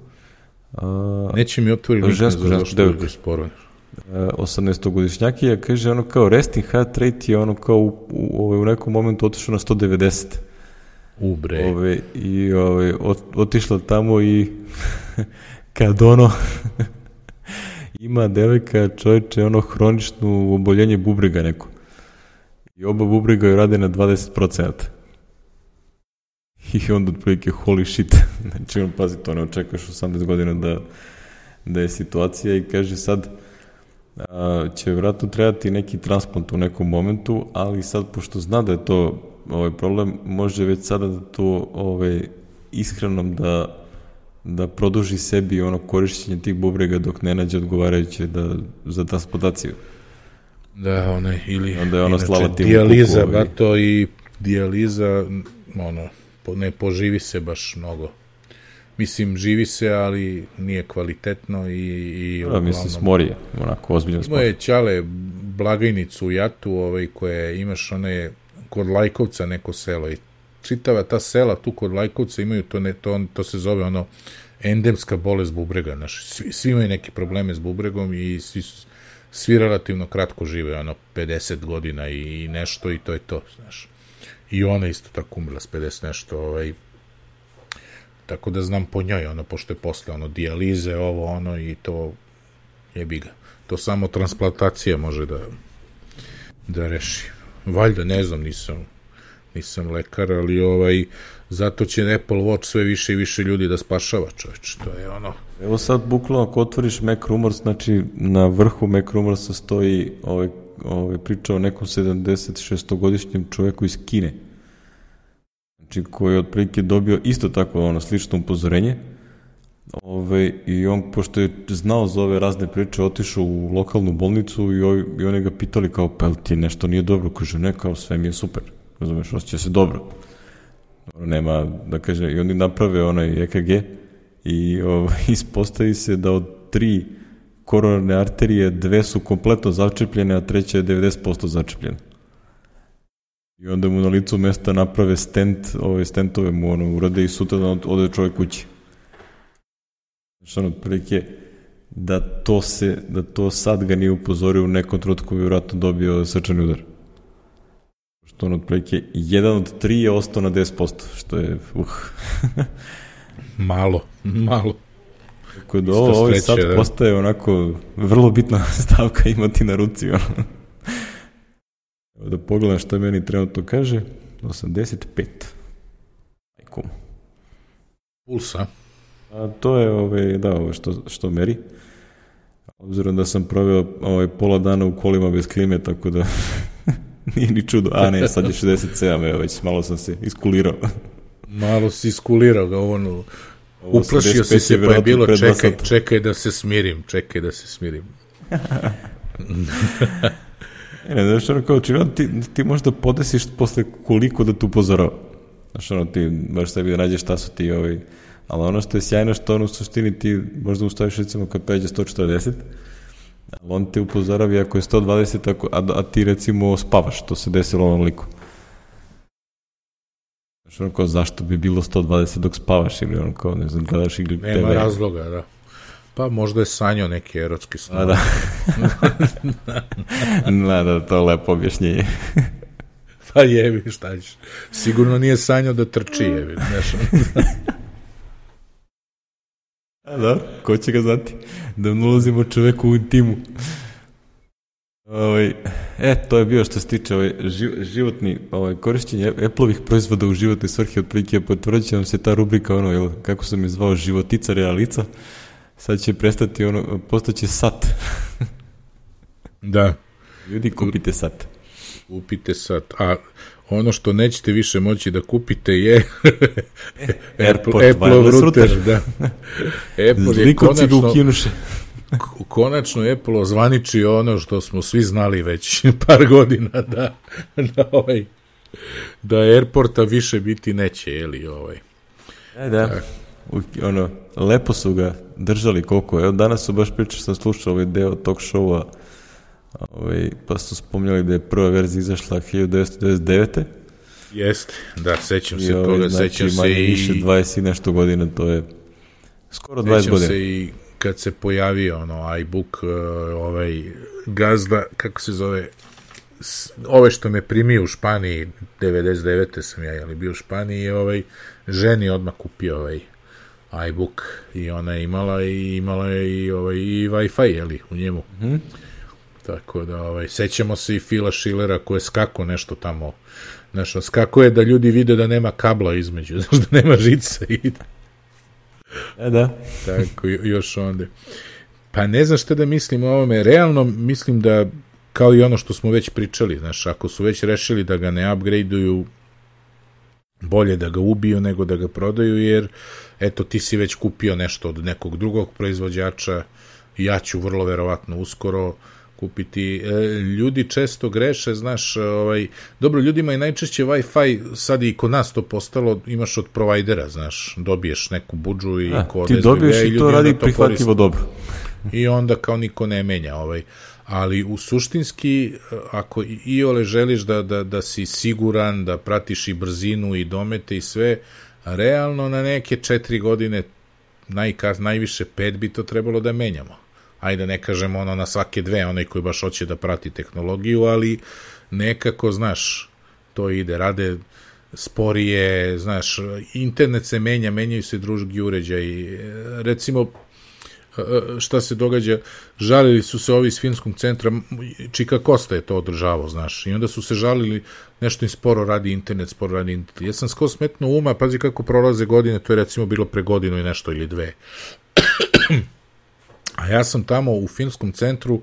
A, Neće mi otvori link žensko, za što je sporo. osamnaestogodišnjaki, ja kaže ono kao resting heart rate je ono kao u, u, u nekom momentu otišao na sto devedeset. U bre. Ove, I ove, ot, otišla tamo i kad ono ima devojka čovječe ono hroničnu oboljenje bubrega neko. I oba bubrega joj rade na dvadeset procenata. I onda otprilike holy shit. Znači on pazi to, ne očekaš osamnaest godina da, da je situacija i kaže sad a, će vjerojatno trebati neki transplant u nekom momentu, ali sad pošto zna da je to ovaj problem, može već sada da to ovaj, ishranom da, da produži sebi ono korišćenje tih bubrega dok ne nađe odgovarajuće da, za transplantaciju. Da, onaj, ili onda je ona inače, dijaliza, kuku, bato ovaj. I dijaliza, ono, po, ne poživi se baš mnogo. Mislim, živi se, ali nije kvalitetno i... i da, uglavnom, mislim, smorije, onako, ozbiljno smorije. Moje ćale blagajnicu u Jatu, ovaj, koje imaš one, kod Lajkovca neko selo i čitava ta sela tu kod Lajkovca imaju, to, ne, to, to se zove ono, endemska bolest bubrega, znaš, svi, svi imaju neke probleme s bubregom i svi, svi relativno kratko žive, ono, pedeset godina i, i nešto i to je to, znaš. I ona isto tako umrla s pedeset nešto, ovaj, tako da znam po njoj, ono, pošto je posle, ono, dijalize, ovo, ono, i to jebi ga. To samo transplantacija može da da reši. Valjda, ne znam, nisam nisam lekar, ali ovaj, zato će Apple Watch sve više i više ljudi da spašava, čovječ, to je ono. Evo sad, bukvalno, ako otvoriš Mac Rumors, znači, na vrhu Mac Rumorsa stoji ovaj, ovaj priča o nekom sedamdeset šestogodišnjem čovjeku iz Kine. Znači, koji je otprilike dobio isto tako ono slično upozorenje. Ove, I on, pošto je znao za ove razne priče, otišao u lokalnu bolnicu i, oj, i oni ga pitali kao, pa ti nešto nije dobro? Kaže, ne, kao sve mi je super. Razumeš, osjeća se dobro. Nema, da kaže, i oni naprave onaj E K G i ove, ispostavi se da od tri koronarne arterije dve su kompletno začepljene, a treća je devedeset posto začepljena. I onda mu na licu mesta naprave stent, ove stentove mu ono urade i sutra da ode čovjek kući. Znači ono, prilike, da to se, da to sad ga nije upozorio u nekom trenutku bi vjerojatno dobio srčani udar. Što ono, prilike, jedan od tri je ostao na deset posto, što je, uh. malo, malo. Tako da ovo, ovaj sad da. Postaje onako vrlo bitna stavka imati na ruci, ono. Da pogledam što meni trenutno kaže, osamdeset pet. Ajko. Pulsa. A to je ove, da, ove što, što meri. Obzirom da sam proveo ovaj, pola dana u kolima bez klime, tako da nije ni čudo. A ne, sad je šezdeset sedam, evo već malo sam se iskulirao. Malo si iskulirao ga, ono, uplašio si se, pa je bilo, čekaj, čekaj da se smirim, čekaj da se smirim. Ne, znaš, ono, kao činjeno, ti, ti možda podesiš posle koliko da tu upozorava. Znaš, ono, ti baš sebi da nađeš šta su ti, ovaj, ali ono što je sjajno, što ono u suštini ti možda ustaviš, recimo, kad pređe sto četrdeset, ali on te upozoravi ako je sto dvadeset, ako, a, a ti, recimo, spavaš, to se desilo ovom liku. Znaš, ono, kao, zašto bi bilo sto dvadeset dok spavaš, ili ono, kao, ne znam, gledaš ili te ve. Nema razloga, da. Pa možda je sanjao neki erotski snov. A da. Da, da, to je lepo objašnjenje. Pa jebi, šta ćeš. Sigurno nije sanjao da trči, jebi. A da, ko će ga znati? Da ne ulazimo čoveku u intimu. Ovaj, e, to je bio što se tiče ovaj, životni ovaj, korišćenje Apple-ovih proizvoda u životnoj svrhi, otprilike potvrdit će nam se ta rubrika, ono, jel, kako sam je zvao, životica realica. Sad će prestati, ono, postaće sat. Da. Ljudi, kupite sat. Kupite sat. A ono što nećete više moći da kupite je Airport, Apple router. Da. Apple je konačno, konačno Apple ozvaniči ono što smo svi znali već par godina, da, da, ovaj, da Airporta više biti neće, jeli, ovaj. E, da. Da. U, ono, lepo su ga držali koliko. Evo, danas su baš pričali, sam slušao ovaj deo talk showa, ovaj, pa su spomnjali da je prva verzija izašla hiljadu devetsto devedeset devete. Jeste, da, sećam se ovaj, toga, znači, sećam se i... više dvadeset i nešto godina, to je skoro dvadeset godina. Sećam se i kad se pojavio ono iBook, ovaj gazda, kako se zove, ove što me primio u Španiji, devedeset devete sam ja, jeli bio u Španiji, i ovaj, ženi odmah kupio ovaj iBook i ona je imala i imala je i, ovaj, i Wi-Fi, jeli, u njemu. Mm. Tako da, ovaj, sećamo se i Phila Schillera koji je skako nešto tamo, nešto, skako je da ljudi vide da nema kabla između, znaš, da nema žice i... E, da. Tako, još onda. Pa ne znam šta da mislim o ovome. Realno mislim da, kao i ono što smo već pričali, znaš, ako su već rešili da ga ne upgradeuju, bolje da ga ubiju nego da ga prodaju, jer eto, ti si već kupio nešto od nekog drugog proizvođača, ja ću vrlo verovatno uskoro kupiti. Ljudi često greše, znaš, ovaj, dobro, ljudima je najčešće Wi-Fi, sad i kod nas to postalo, imaš od provajdera, znaš, dobiješ neku budžu i A, kod ti dobiješ i to radi to prihvatljivo dobro. I onda kao niko ne menja, ovaj. Ali u suštinski, ako i ole želiš da, da, da si siguran, da pratiš i brzinu i domete i sve, realno na neke četiri godine, najkaz, najviše pet bi to trebalo da menjamo. Ajde, ne kažemo ono na svake dve, onaj koji baš hoće da prati tehnologiju, ali nekako, znaš, to ide, rade sporije, znaš, internet se menja, menjaju se drugi uređaji. Recimo, šta se događa, žalili su se ovi iz filmskog centra, Čika Kosta je to održavao, znaš, i onda su se žalili, nešto im sporo radi internet, sporo radi internet. Ja sam skoro smetno uma, pazi kako prolaze godine, to je recimo bilo pre godinu i nešto ili dve. A ja sam tamo u filmskom centru,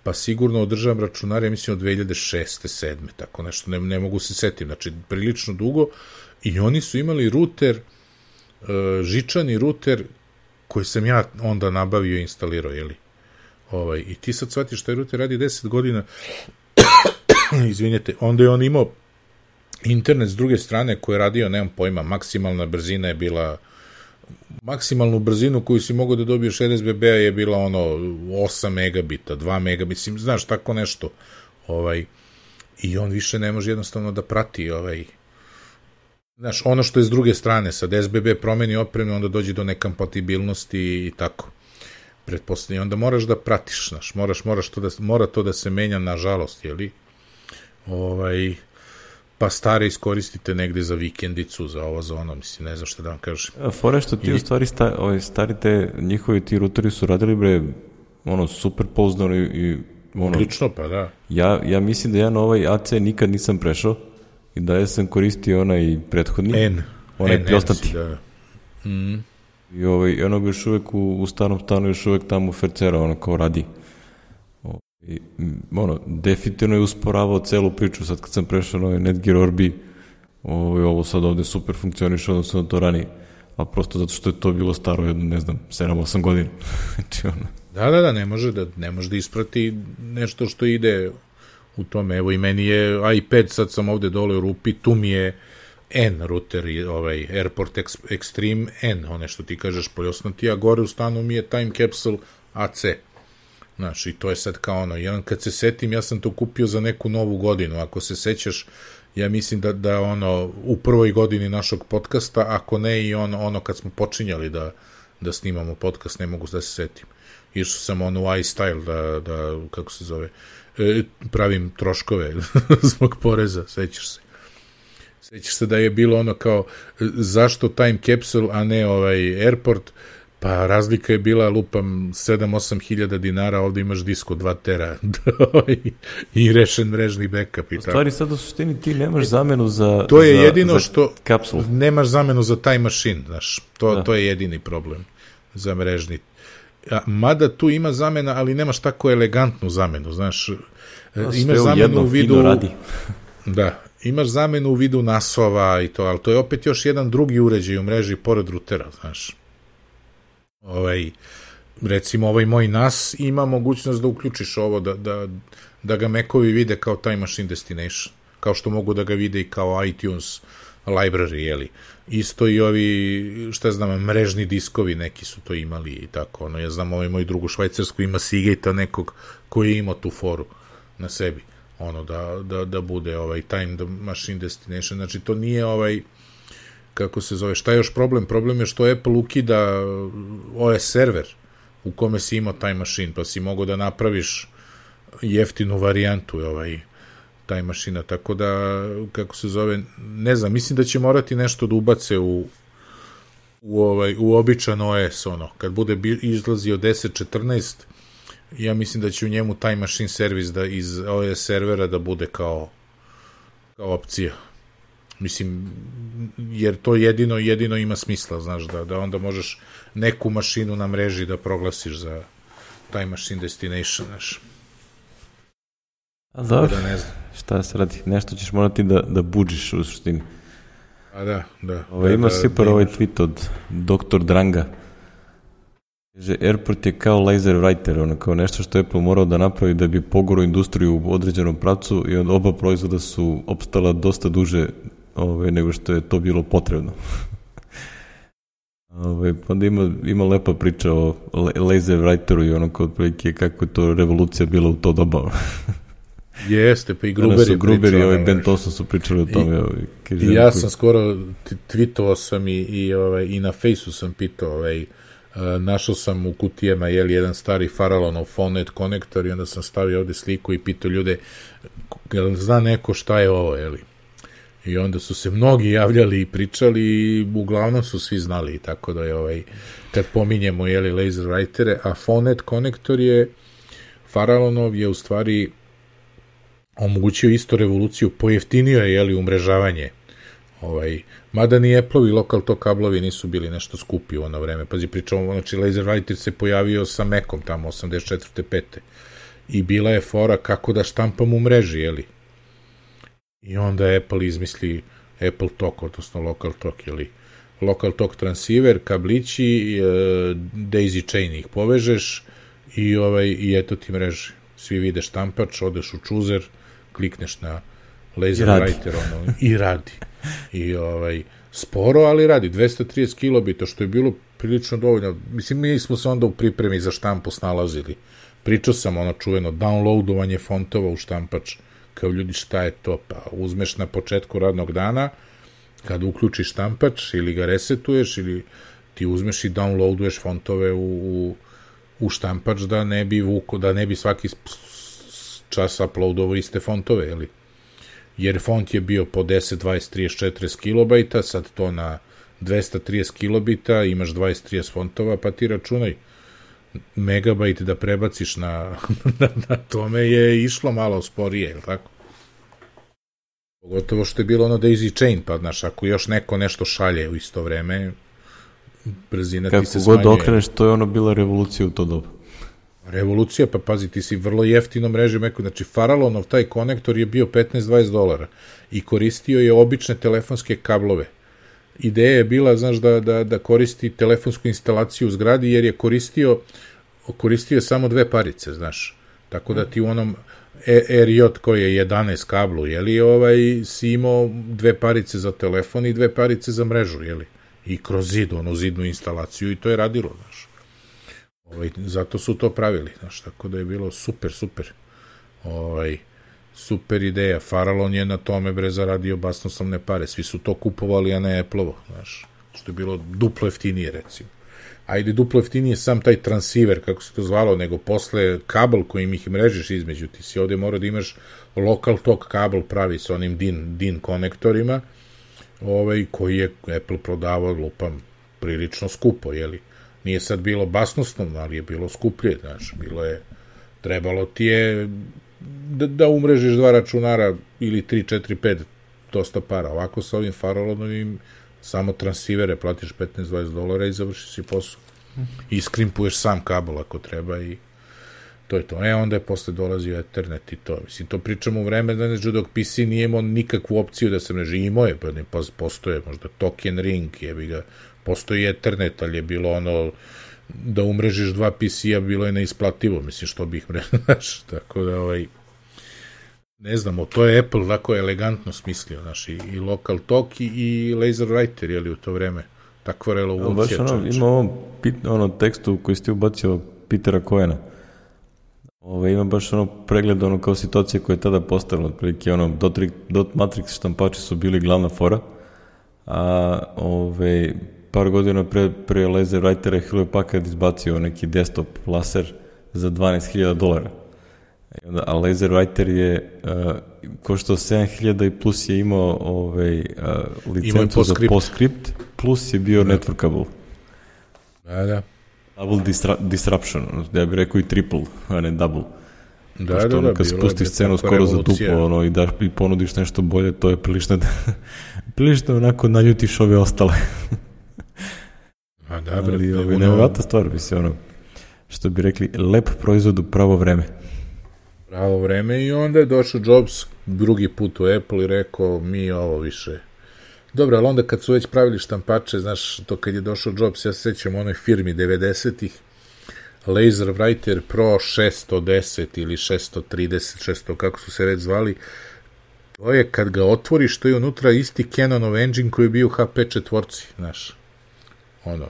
pa sigurno održavam računare, ja mislim od dve hiljade šeste sedme tako nešto, ne, ne mogu se setiti, znači prilično dugo, i oni su imali ruter, žičani ruter, koji sam ja onda nabavio i instalirao, jeli? Ovaj, i ti sad shvatiš šta je ruter radi deset godina, izvinjete, onda je on imao internet s druge strane koji je radio, nemam pojma, maksimalna brzina je bila, maksimalnu brzinu koju si mogao da dobiješ R S B B-a je bila ono osam megabita, dva megabita, mislim, znaš, tako nešto. Ovaj, i on više ne može jednostavno da prati ovaj, znaš, ono što je s druge strane, sad S B B promeni opremu, onda dođe do nekompatibilnosti i tako. Pretpostavljam, onda moraš da pratiš, znaš, moraš, moraš to da, mora to da se menja, nažalost, jeli? Ovaj, pa stare iskoristite negde za vikendicu, za ovo, za ono, mislim, ne znam šta da vam kažem. Fore što ti I... u stvari sta, ovaj, stari te, njihovi ti ruteri su radili, bre, ono, super pouzdano i, i ono... Odlično, pa da. Ja, ja mislim da ja na ovaj A C nikad nisam prešao i da ja sam koristio onaj prethodni. N. Onaj pljostati. Da. Mm. I ovaj, ono ga još uvek u, u starom stanu, još uvek tamo fercera, ono, kao radi. I, ono, definitivno je usporavao celu priču, sad kad sam prešao na ovaj Netgear Orbi, ovo, ovo sad ovde super funkcioniše, odnosno na to ranije, a prosto zato što je to bilo staro jedno, ne znam, sedam osam godina. Znači, ono... Da, da, da, ne može da, ne može da isprati nešto što ide u tome. Evo i meni je iPad, sad sam ovde dole u rupi, tu mi je N router, ovaj Airport Extreme N, one što ti kažeš poljosnati, a gore u stanu mi je Time Capsule A C. Znaš, i to je sad kao ono, jedan kad se setim, ja sam to kupio za neku novu godinu, ako se sećaš, ja mislim da, da ono, u prvoj godini našog podcasta, ako ne i ono, ono kad smo počinjali da, da snimamo podcast, ne mogu da se setim. Išao sam ono u iStyle da, da, kako se zove, e, pravim troškove zbog poreza, sećaš se. Sećaš se da je bilo ono kao, zašto Time Capsule, a ne ovaj Airport, pa razlika je bila, lupam, sedam osam hiljada dinara, ovde imaš disko dva tera i rešen mrežni backup i tako. U stvari sad u suštini ti nemaš zamenu za to je za, jedino za što kapsulu. Nemaš zamenu za Time Machine, znaš, to, to je jedini problem za mrežni. A, mada tu ima zamena, ali nemaš tako elegantnu zamenu, znaš, no, imaš zamenu jedno, u vidu... radi. Da, imaš zamenu u vidu nasova i to, ali to je opet još jedan drugi uređaj u mreži pored rutera, znaš. Ovaj, recimo ovaj moj N A S ima mogućnost da uključiš ovo, da, da, da ga Macovi vide kao Time Machine Destination, kao što mogu da ga vide i kao iTunes library, jeli. Isto i ovi, šta znam, mrežni diskovi neki su to imali i tako, ono, ja znam, ovaj moj drug u Švajcarsku ima Seagate-a nekog koji je imao tu foru na sebi, ono, da, da, da bude ovaj Time Machine Destination, znači to nije ovaj, kako se zove, šta je još problem? Problem je što Apple ukida O S server u kome si imao Time Machine, pa si mogao da napraviš jeftinu varijantu ovaj Time Machine, tako da, kako se zove, ne znam, mislim da će morati nešto da ubace u u, ovaj, u običan O S, ono, kad bude izlazio deset četrnaest, ja mislim da će u njemu Time Machine servis da iz O S servera da bude kao kao opcija. Mislim, jer to jedino, jedino ima smisla, znaš, da, da onda možeš neku mašinu na mreži da proglasiš za Time Machine Destination, znaš. A dobro, da ne znam. Šta se radi, nešto ćeš morati da, da buđiš u suštini. A da, da. Ovo, ima da, super da, ovaj tweet od doktor Dranga. Kaže, Airport je kao laser writer, ono, kao nešto što je Apple morao da napravi da bi pogorao industriju u određenom pravcu i onda oba proizvoda su opstala dosta duže ove, nego što je to bilo potrebno. ove, pa onda ima, ima lepa priča o laser writeru i ono kao otprilike kako je to revolucija bila u to doba. Jeste, pa i Gruber je Gruber i ovaj Ben Toson su pričali o tome. I, ovaj, kaže, i ja sam skoro tweetovao sam i, i, ovaj, i na Fejsu sam pitao, ovaj, Uh, našao sam u kutijama jeli, jedan stari Farallonov PhoneNet konektor i onda sam stavio ovde sliku i pitao ljude jel zna neko šta je ovo, jeli? I onda su se mnogi javljali i pričali i uglavnom su svi znali, tako da je ovaj, kad pominjemo jeli, laser writere, a PhoneNet konektor je Farallonov je u stvari omogućio isto revoluciju, pojeftinio je jeli, umrežavanje. Ovaj, mada ni Apple-ovi lokal to kablovi nisu bili nešto skupi u ono vreme. Pazi, pričamo, znači laser writer se pojavio sa Macom tamo osamdeset četvrte pete i bila je fora kako da štampam u mreži, jeli? I onda Apple izmisli Apple Talk, odnosno Local Talk, jeli? Local Talk transceiver, kablići, e, daisy chain ih povežeš i, ovaj, i eto ti mreži. Svi vide štampač, odeš u chooser, klikneš na laser writer ono, i radi. I ovaj, sporo, ali radi, dvesta trideset kilobita, što je bilo prilično dovoljno. Mislim, mi smo se onda u pripremi za štampu snalazili. Pričao sam ono čuveno, downloadovanje fontova u štampač, kao ljudi šta je to, pa uzmeš na početku radnog dana, kad uključiš štampač ili ga resetuješ ili ti uzmeš i downloaduješ fontove u, u, u štampač da ne bi vuko, da ne bi svaki čas uploadovo iste fontove, jeli? Jer font je bio po deset, dvadeset, trideset, četrdeset kilobajta, sad to na dvesta trideset kilobita, imaš dvadeset, trideset fontova, pa ti računaj, megabajt da prebaciš na, na, na tome je išlo malo sporije, je li tako? Pogotovo što je bilo ono daisy chain, pa znaš, ako još neko nešto šalje u isto vreme, brzina kako ti se smanjuje. Kako god okreneš, to je ono bila revolucija u to doba. Revolucija, pa pazi, ti si vrlo jeftino mreže meko, znači Farallonov taj konektor je bio petnaest do dvadeset dolara i koristio je obične telefonske kablove. Ideja je bila, znaš, da, da, da koristi telefonsku instalaciju u zgradi, jer je koristio, koristio samo dve parice, znaš, tako da ti u onom R J koji je jedanaest kablu, jeli, ovaj, si imao dve parice za telefon i dve parice za mrežu, jeli, i kroz zid, onu zidnu instalaciju i to je radilo, znaš. Ovaj, zato su to pravili, znaš, tako da je bilo super, super, ovaj, super ideja. Farallon je na tome, bre, zaradio basnoslovne pare, svi su to kupovali, a ne Apple-ovo, znaš, što je bilo duplo jeftinije, recimo. Ajde, duplo jeftinije sam taj transceiver, kako se to zvalo, nego posle kabel kojim ih mrežiš između, ti si ovde morao da imaš local talk kabel pravi sa onim DIN, DIN konektorima, ovaj, koji je Apple prodavao, lupam, prilično skupo, jeli. Nije sad bilo basnoslovno, ali je bilo skuplje, znaš, bilo je, trebalo ti je da, da umrežiš dva računara ili tri, četiri, pet, dosta para. Ovako sa ovim Farallonovim samo transivere platiš petnaest do dvadeset dolara i završiš si posao. I skrimpuješ sam kabel ako treba i to je to. E, onda je posle dolazio Ethernet i to. Mislim, to pričamo u vreme da dok P C nije imao nikakvu opciju da se mreži. Imao je, pa ne postoje možda token ring, jebi ga, postoji Ethernet, ali je bilo ono da umrežiš dva P C-a bilo je neisplativo, mislim, što bih mrežaš, tako da, ovaj, ne znamo, to je Apple tako elegantno smislio, znaš, i, i local talk i, i laser writer, jeli, u to vreme, takva revolucija. Baš ono, ima ovom ono, tekstu koji ste ubacio Petera Cohena, Ove, ima baš ono pregled ono kao situacije koje je tada postavilo, otprilike ono, dot, dot matrix štampači su bili glavna fora, a ove, par godina pre, pre laser writera je Hewlett Packard izbacio neki desktop laser za dvanaest hiljada dolara. A laser writer je uh, koštao sedam hiljada i plus je imao ovaj, uh, licencu za PostScript, plus je bio da. Networkable. Da, da. Double disra disruption, ja bih rekao i triple, a ne double. Da, Pošto da, ono, da. kad spustiš cenu skoro za duplo ono, i, daš, i ponudiš nešto bolje, to je prilično, prilično onako naljutiš ove ostale. A da, bre, ali ono... nevjerojatna stvar, bi se ono, što bi rekli, lep proizvod u pravo vreme. Pravo vreme i onda je došao Jobs drugi put u Apple i rekao mi ovo više. Dobro, ali onda kad su već pravili štampače, znaš, to kad je došao Jobs, ja se sećam onoj firmi devedesetih, Laser Writer Pro šesto deset ili šesto trideset, šesto kako su se već zvali, to je kad ga otvoriš, to je unutra isti Canonov engine koji je bio u H P četvorci, znaš. Ono,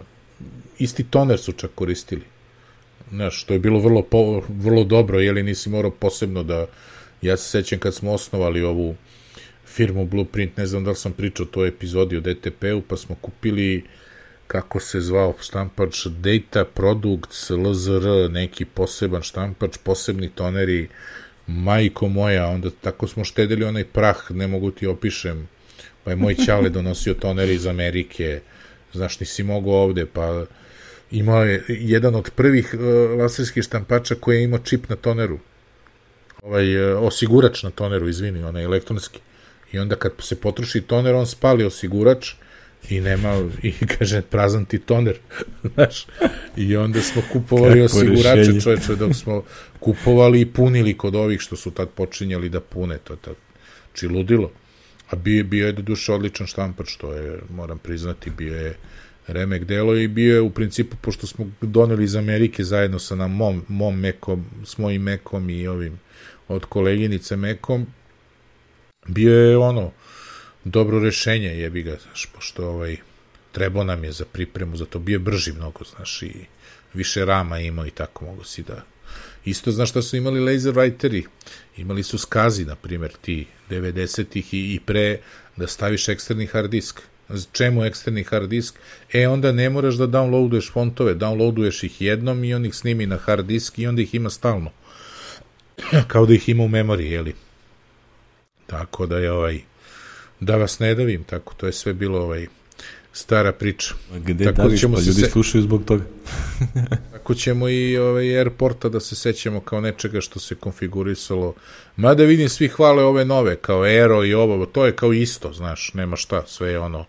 isti toner su čak koristili. Znaš, to je bilo vrlo, po, vrlo dobro, jeli nisi morao posebno da, ja se sećam kad smo osnovali ovu firmu Blueprint, ne znam da li sam pričao o toj epizodi o D T P-u, pa smo kupili, kako se zvao štampač, Data Products, L Z R, neki poseban štampač, posebni toneri, majko moja, onda tako smo štedili onaj prah, ne mogu ti opišem, pa je moj ćale donosio toneri iz Amerike, znaš, nisi mogao ovde, pa imao je jedan od prvih uh, laserskih štampača koji je imao čip na toneru, ovaj, uh, osigurač na toneru, izvini, onaj elektronski. I onda kad se potroši toner, on spali osigurač i nema, i kaže, prazan ti toner, znaš. I onda smo kupovali kako osigurače, rešenje. Čoveče, dok smo kupovali i punili kod ovih što su tad počinjali da pune, to je tad, či ludilo. A bio, bio je do duše odličan štampač, to je, moram priznati, bio je remek delo i bio je u principu, pošto smo doneli iz Amerike zajedno sa nam mom, mom Mekom, s mojim Mekom i ovim od koleginice Mekom, bio je ono dobro rešenje, jebi ga, znaš, pošto ovaj, trebao nam je za pripremu, zato bio je brži mnogo, znaš, i više rama imao i tako mogu si da... Isto, znaš šta su imali laser writeri? Imali su skazi, na primjer, ti devedesetih i, i pre da staviš eksterni hard disk. Čemu eksterni hard disk? E, onda ne moraš da downloaduješ fontove, downloaduješ ih jednom i on ih snimi na hard disk i onda ih ima stalno. Kao da ih ima u memoriji, jeli? Tako da je ovaj, da vas ne davim, tako, to je sve bilo ovaj, stara priča. A gde tako daviš, ćemo pa ljudi se... slušaju zbog toga. Tako ćemo i ovaj, Airporta da se sećamo kao nečega što se konfigurisalo. Mada vidim, svi hvale ove nove, kao Aero i ovo, to je kao isto, znaš, nema šta, sve je ono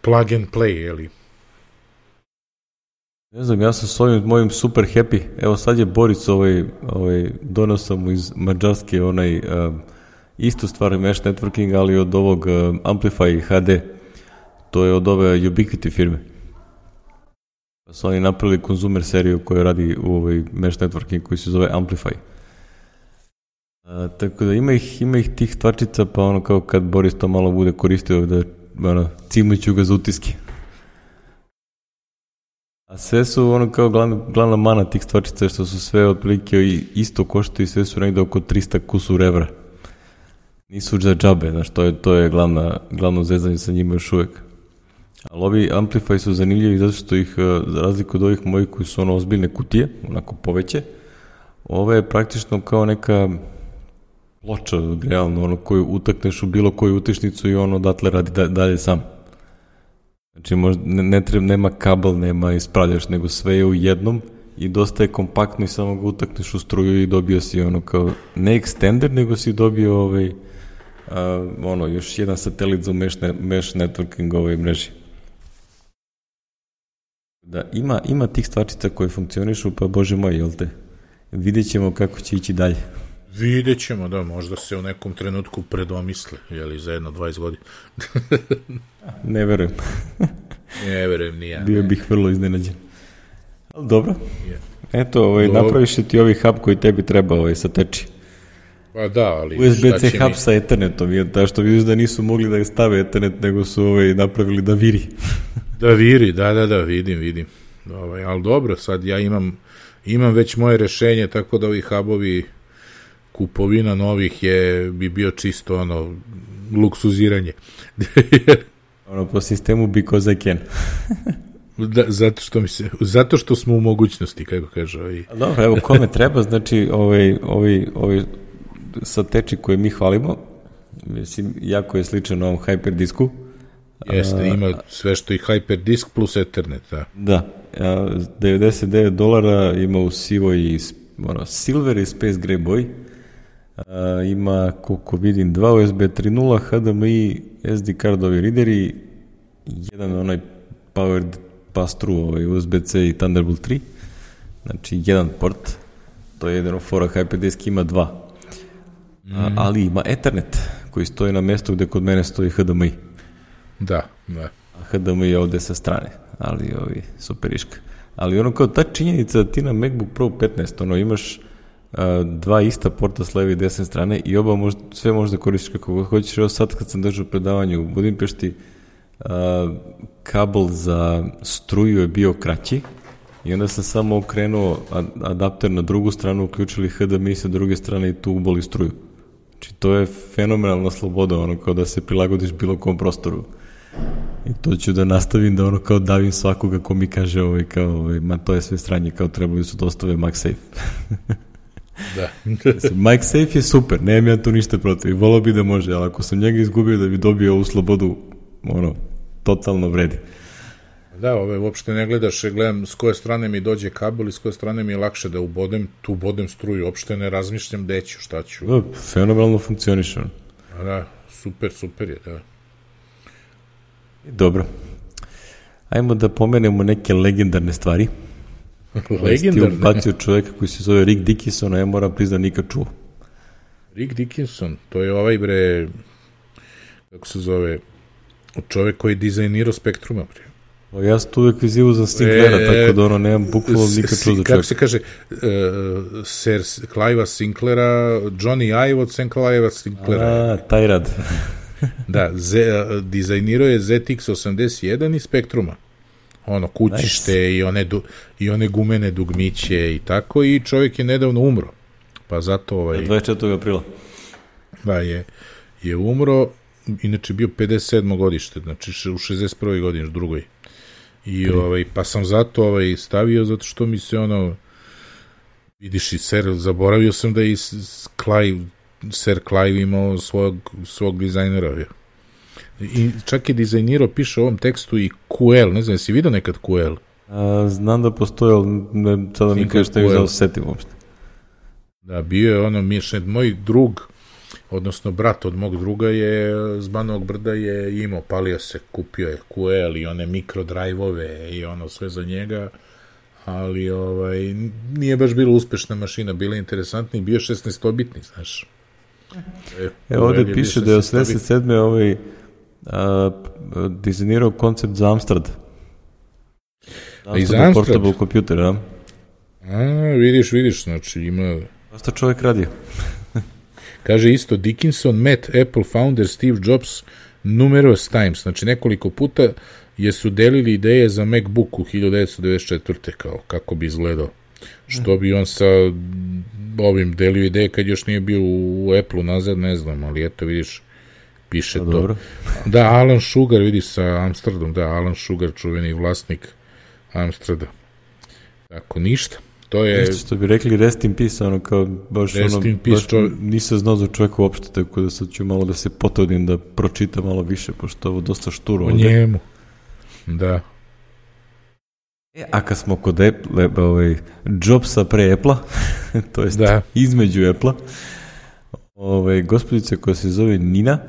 plug and play, jeli? Ne znam, ja sam s ovim mojim super happy. Evo sad je Boris ovaj, ovaj, donao sam mu iz Mađarske onaj uh, istu stvar mesh networking, ali od ovog uh, Amplify ha de. To je od ove Ubiquiti firme. Pa su oni napravili konzumer seriju koja radi u ovaj mesh networking koji se zove Amplify. Uh, tako da ima ih, ima ih tih stvarčica, pa ono kao kad Boris to malo bude koristio da ono, cimuću ga za utiske. A sve su ono kao glavna, glavna mana tih stvarčica što su sve otprilike isto koštaju i sve su negde oko trista kusur evra. Nisu za džabe, znaš, to je, to je glavna, glavno zezanje sa njima još uvek. Ali ovi Amplify su zanimljivi zato što ih, za razliku od ovih mojih koji su ono ozbiljne kutije, onako poveće, ove je praktično kao neka ploča, realno, ono koju utakneš u bilo koju utičnicu i ono odatle radi da, dalje sam. Znači, možda, ne, ne treba, nema kabel, nema ispravljaš, nego sve je u jednom i dosta je kompaktno i samo ga utakneš u struju i dobio si ono kao, ne extender, nego si dobio ovaj, a, ono, još jedan satelit za mesh, ne, mesh networking ovoj mreži. Da, ima, ima tih stvarčica koje funkcionišu, pa bože moj, jel te? Vidjet ćemo kako će ići dalje. Vidjet ćemo, da, možda se u nekom trenutku predomisle, jeli, za jedno dvadeset godina. Ne verujem. Ne verujem, ni ja. Bio ne. bih vrlo iznenađen. Ali dobro. Je. Eto, ovaj, Dobro. napraviš ti ovaj hub koji tebi treba ovaj, sa teči. Pa da, ali U es be ce hub mi... sa Ethernetom, je ta što vidiš da nisu mogli da stave Ethernet, nego su ovaj, napravili da viri. Da viri, da, da, da, vidim, vidim. Ovaj, ali dobro, sad ja imam, imam već moje rešenje, tako da ovi hubovi, kupovina novih je, bi bio čisto ono, luksuziranje. Ono, po sistemu because I can. Da, zato što mi se, zato što smo u mogućnosti, kako kaže ovaj. Dobro, evo, kome treba, znači, ovaj, ovaj, ovaj sa teči koje mi hvalimo, mislim, jako je sličan ovom Hyperdisku. Jeste, ima sve što i Hyperdisk plus Ethernet, da. Da, devedeset devet dolara ima u sivoj i ono, silver i space gray boji. A, ima, koliko vidim, dva u es be tri nula, ha de em i, es de cardovi readeri, jedan onaj powered pass-through, ovaj, u es be ce i Thunderbolt tri, znači jedan port, to je jedino fora, Hyperdisk ima dva. Mm. A, ali ima Ethernet, koji stoji na mjestu gde kod mene stoji ha de em i. Da, da. A ha de em i je ovde sa strane, ali ovi, superiška. Ali ono kao ta činjenica da ti na MacBook Pro petnaest, ono, imaš dva ista porta s leve i desne strane i oba možda, sve možda koristiš kako god hoćeš. Evo sad kad sam držao predavanje u Budimpešti, a, kabel za struju je bio kraći i onda sam samo okrenuo adapter na drugu stranu, uključili ha de em i sa druge strane i tu uboli struju. Znači to je fenomenalna sloboda, ono kao da se prilagodiš bilo kom prostoru. I to ću da nastavim da ono kao davim svakoga ko mi kaže ovaj, kao, ovaj, ma to je sve stranje, kao trebali su da ostave MagSafe. Da. MagSafe je super, nemam ja tu ništa protiv, volao bi da može, ali ako sam njega izgubio da bi dobio ovu slobodu, ono, totalno vredi. Da, ove, uopšte ne gledaš, gledam s koje strane mi dođe kabel i s koje strane mi je lakše da ubodem, tu ubodem struju, uopšte ne razmišljam gde ću, šta ću. Da, fenomenalno funkcioniše. Da, super, super je, da. Dobro. Ajmo da pomenemo neke legendarne stvari. Legendarne? Ti ubacio čovjeka koji se zove Rick Dickinson, a ja moram priznat nikad čuo. Rick Dickinson, to je ovaj bre, kako se zove, čovjek koji je dizajnirao Spektruma, bre. O, ja sam tu uvek vizivu za Sinklera, e, tako da ono, nemam bukvalno nikad čuo za čovjeka. Kako se kaže, uh, Sir Clive Sinklera, Johnny Ive od Sir Clive Sinklera. A, taj rad. Da, Z, dizajnirao je zet iks osamdeset jedan i Spektruma. Ono, kućište nice. i, one du, i one gumene dugmiće i tako, i čovjek je nedavno umro. Pa zato ovaj... dvadeset četvrtog aprila. Da, je, je umro, inače bio pedeset sedmo godište, znači u šezdeset prvoj godini, drugoj. I ovaj, pa sam zato ovaj, stavio, zato što mi se ono, vidiš i Sir, zaboravio sam da je i Clive, Sir Clive imao svog, svog dizajnera. I čak je dizajnirao, piše u ovom tekstu i kju el, ne znam, jesi vidio nekad kju el? A, znam da postoje, ali ne, sada mi kažeš što da se setim uopšte. Da, bio je ono, mišljen, moj drug, odnosno brat od mog druga je s Banovog Brda je imao, palio se, kupio je kju el i one mikrodrajvove i ono sve za njega ali ovaj, nije baš bila uspešna mašina, bila interesantna i bio šesnaestobitni, znaš. E, Evo ovde piše da je osamdeset sedme ovaj, a, dizajnirao koncept za Amstrad. A i za Amstrad? Portable computer, a? A, vidiš, vidiš, znači ima... Šta čovjek radio? Kaže isto, Dickinson met Apple founder Steve Jobs numerous times, znači nekoliko puta jesu delili ideje za MacBook u hiljadu devetsto devedeset četvrte kao kako bi izgledao. Što bi on sa ovim delio ideje kad još nije bio u Apple-u nazad, ne znam, ali eto vidiš, piše A, to. dobro. Da, Alan Sugar, vidiš sa Amsterdam, da, Alan Sugar, čuveni vlasnik Amstrada. Tako, ništa. To je... Nešto što bi rekli rest in peace, ono kao baš rest ono, in peace, baš čo... nisam znao za čovjeka uopšte, tako da sad ću malo da se potrudim da pročitam malo više, pošto ovo dosta šturo. O njemu. Da. E, a kad smo kod Apple, ovaj, Jobsa pre Apple-a, to jest da. između Apple-a, ovaj, gospodica koja se zove Nina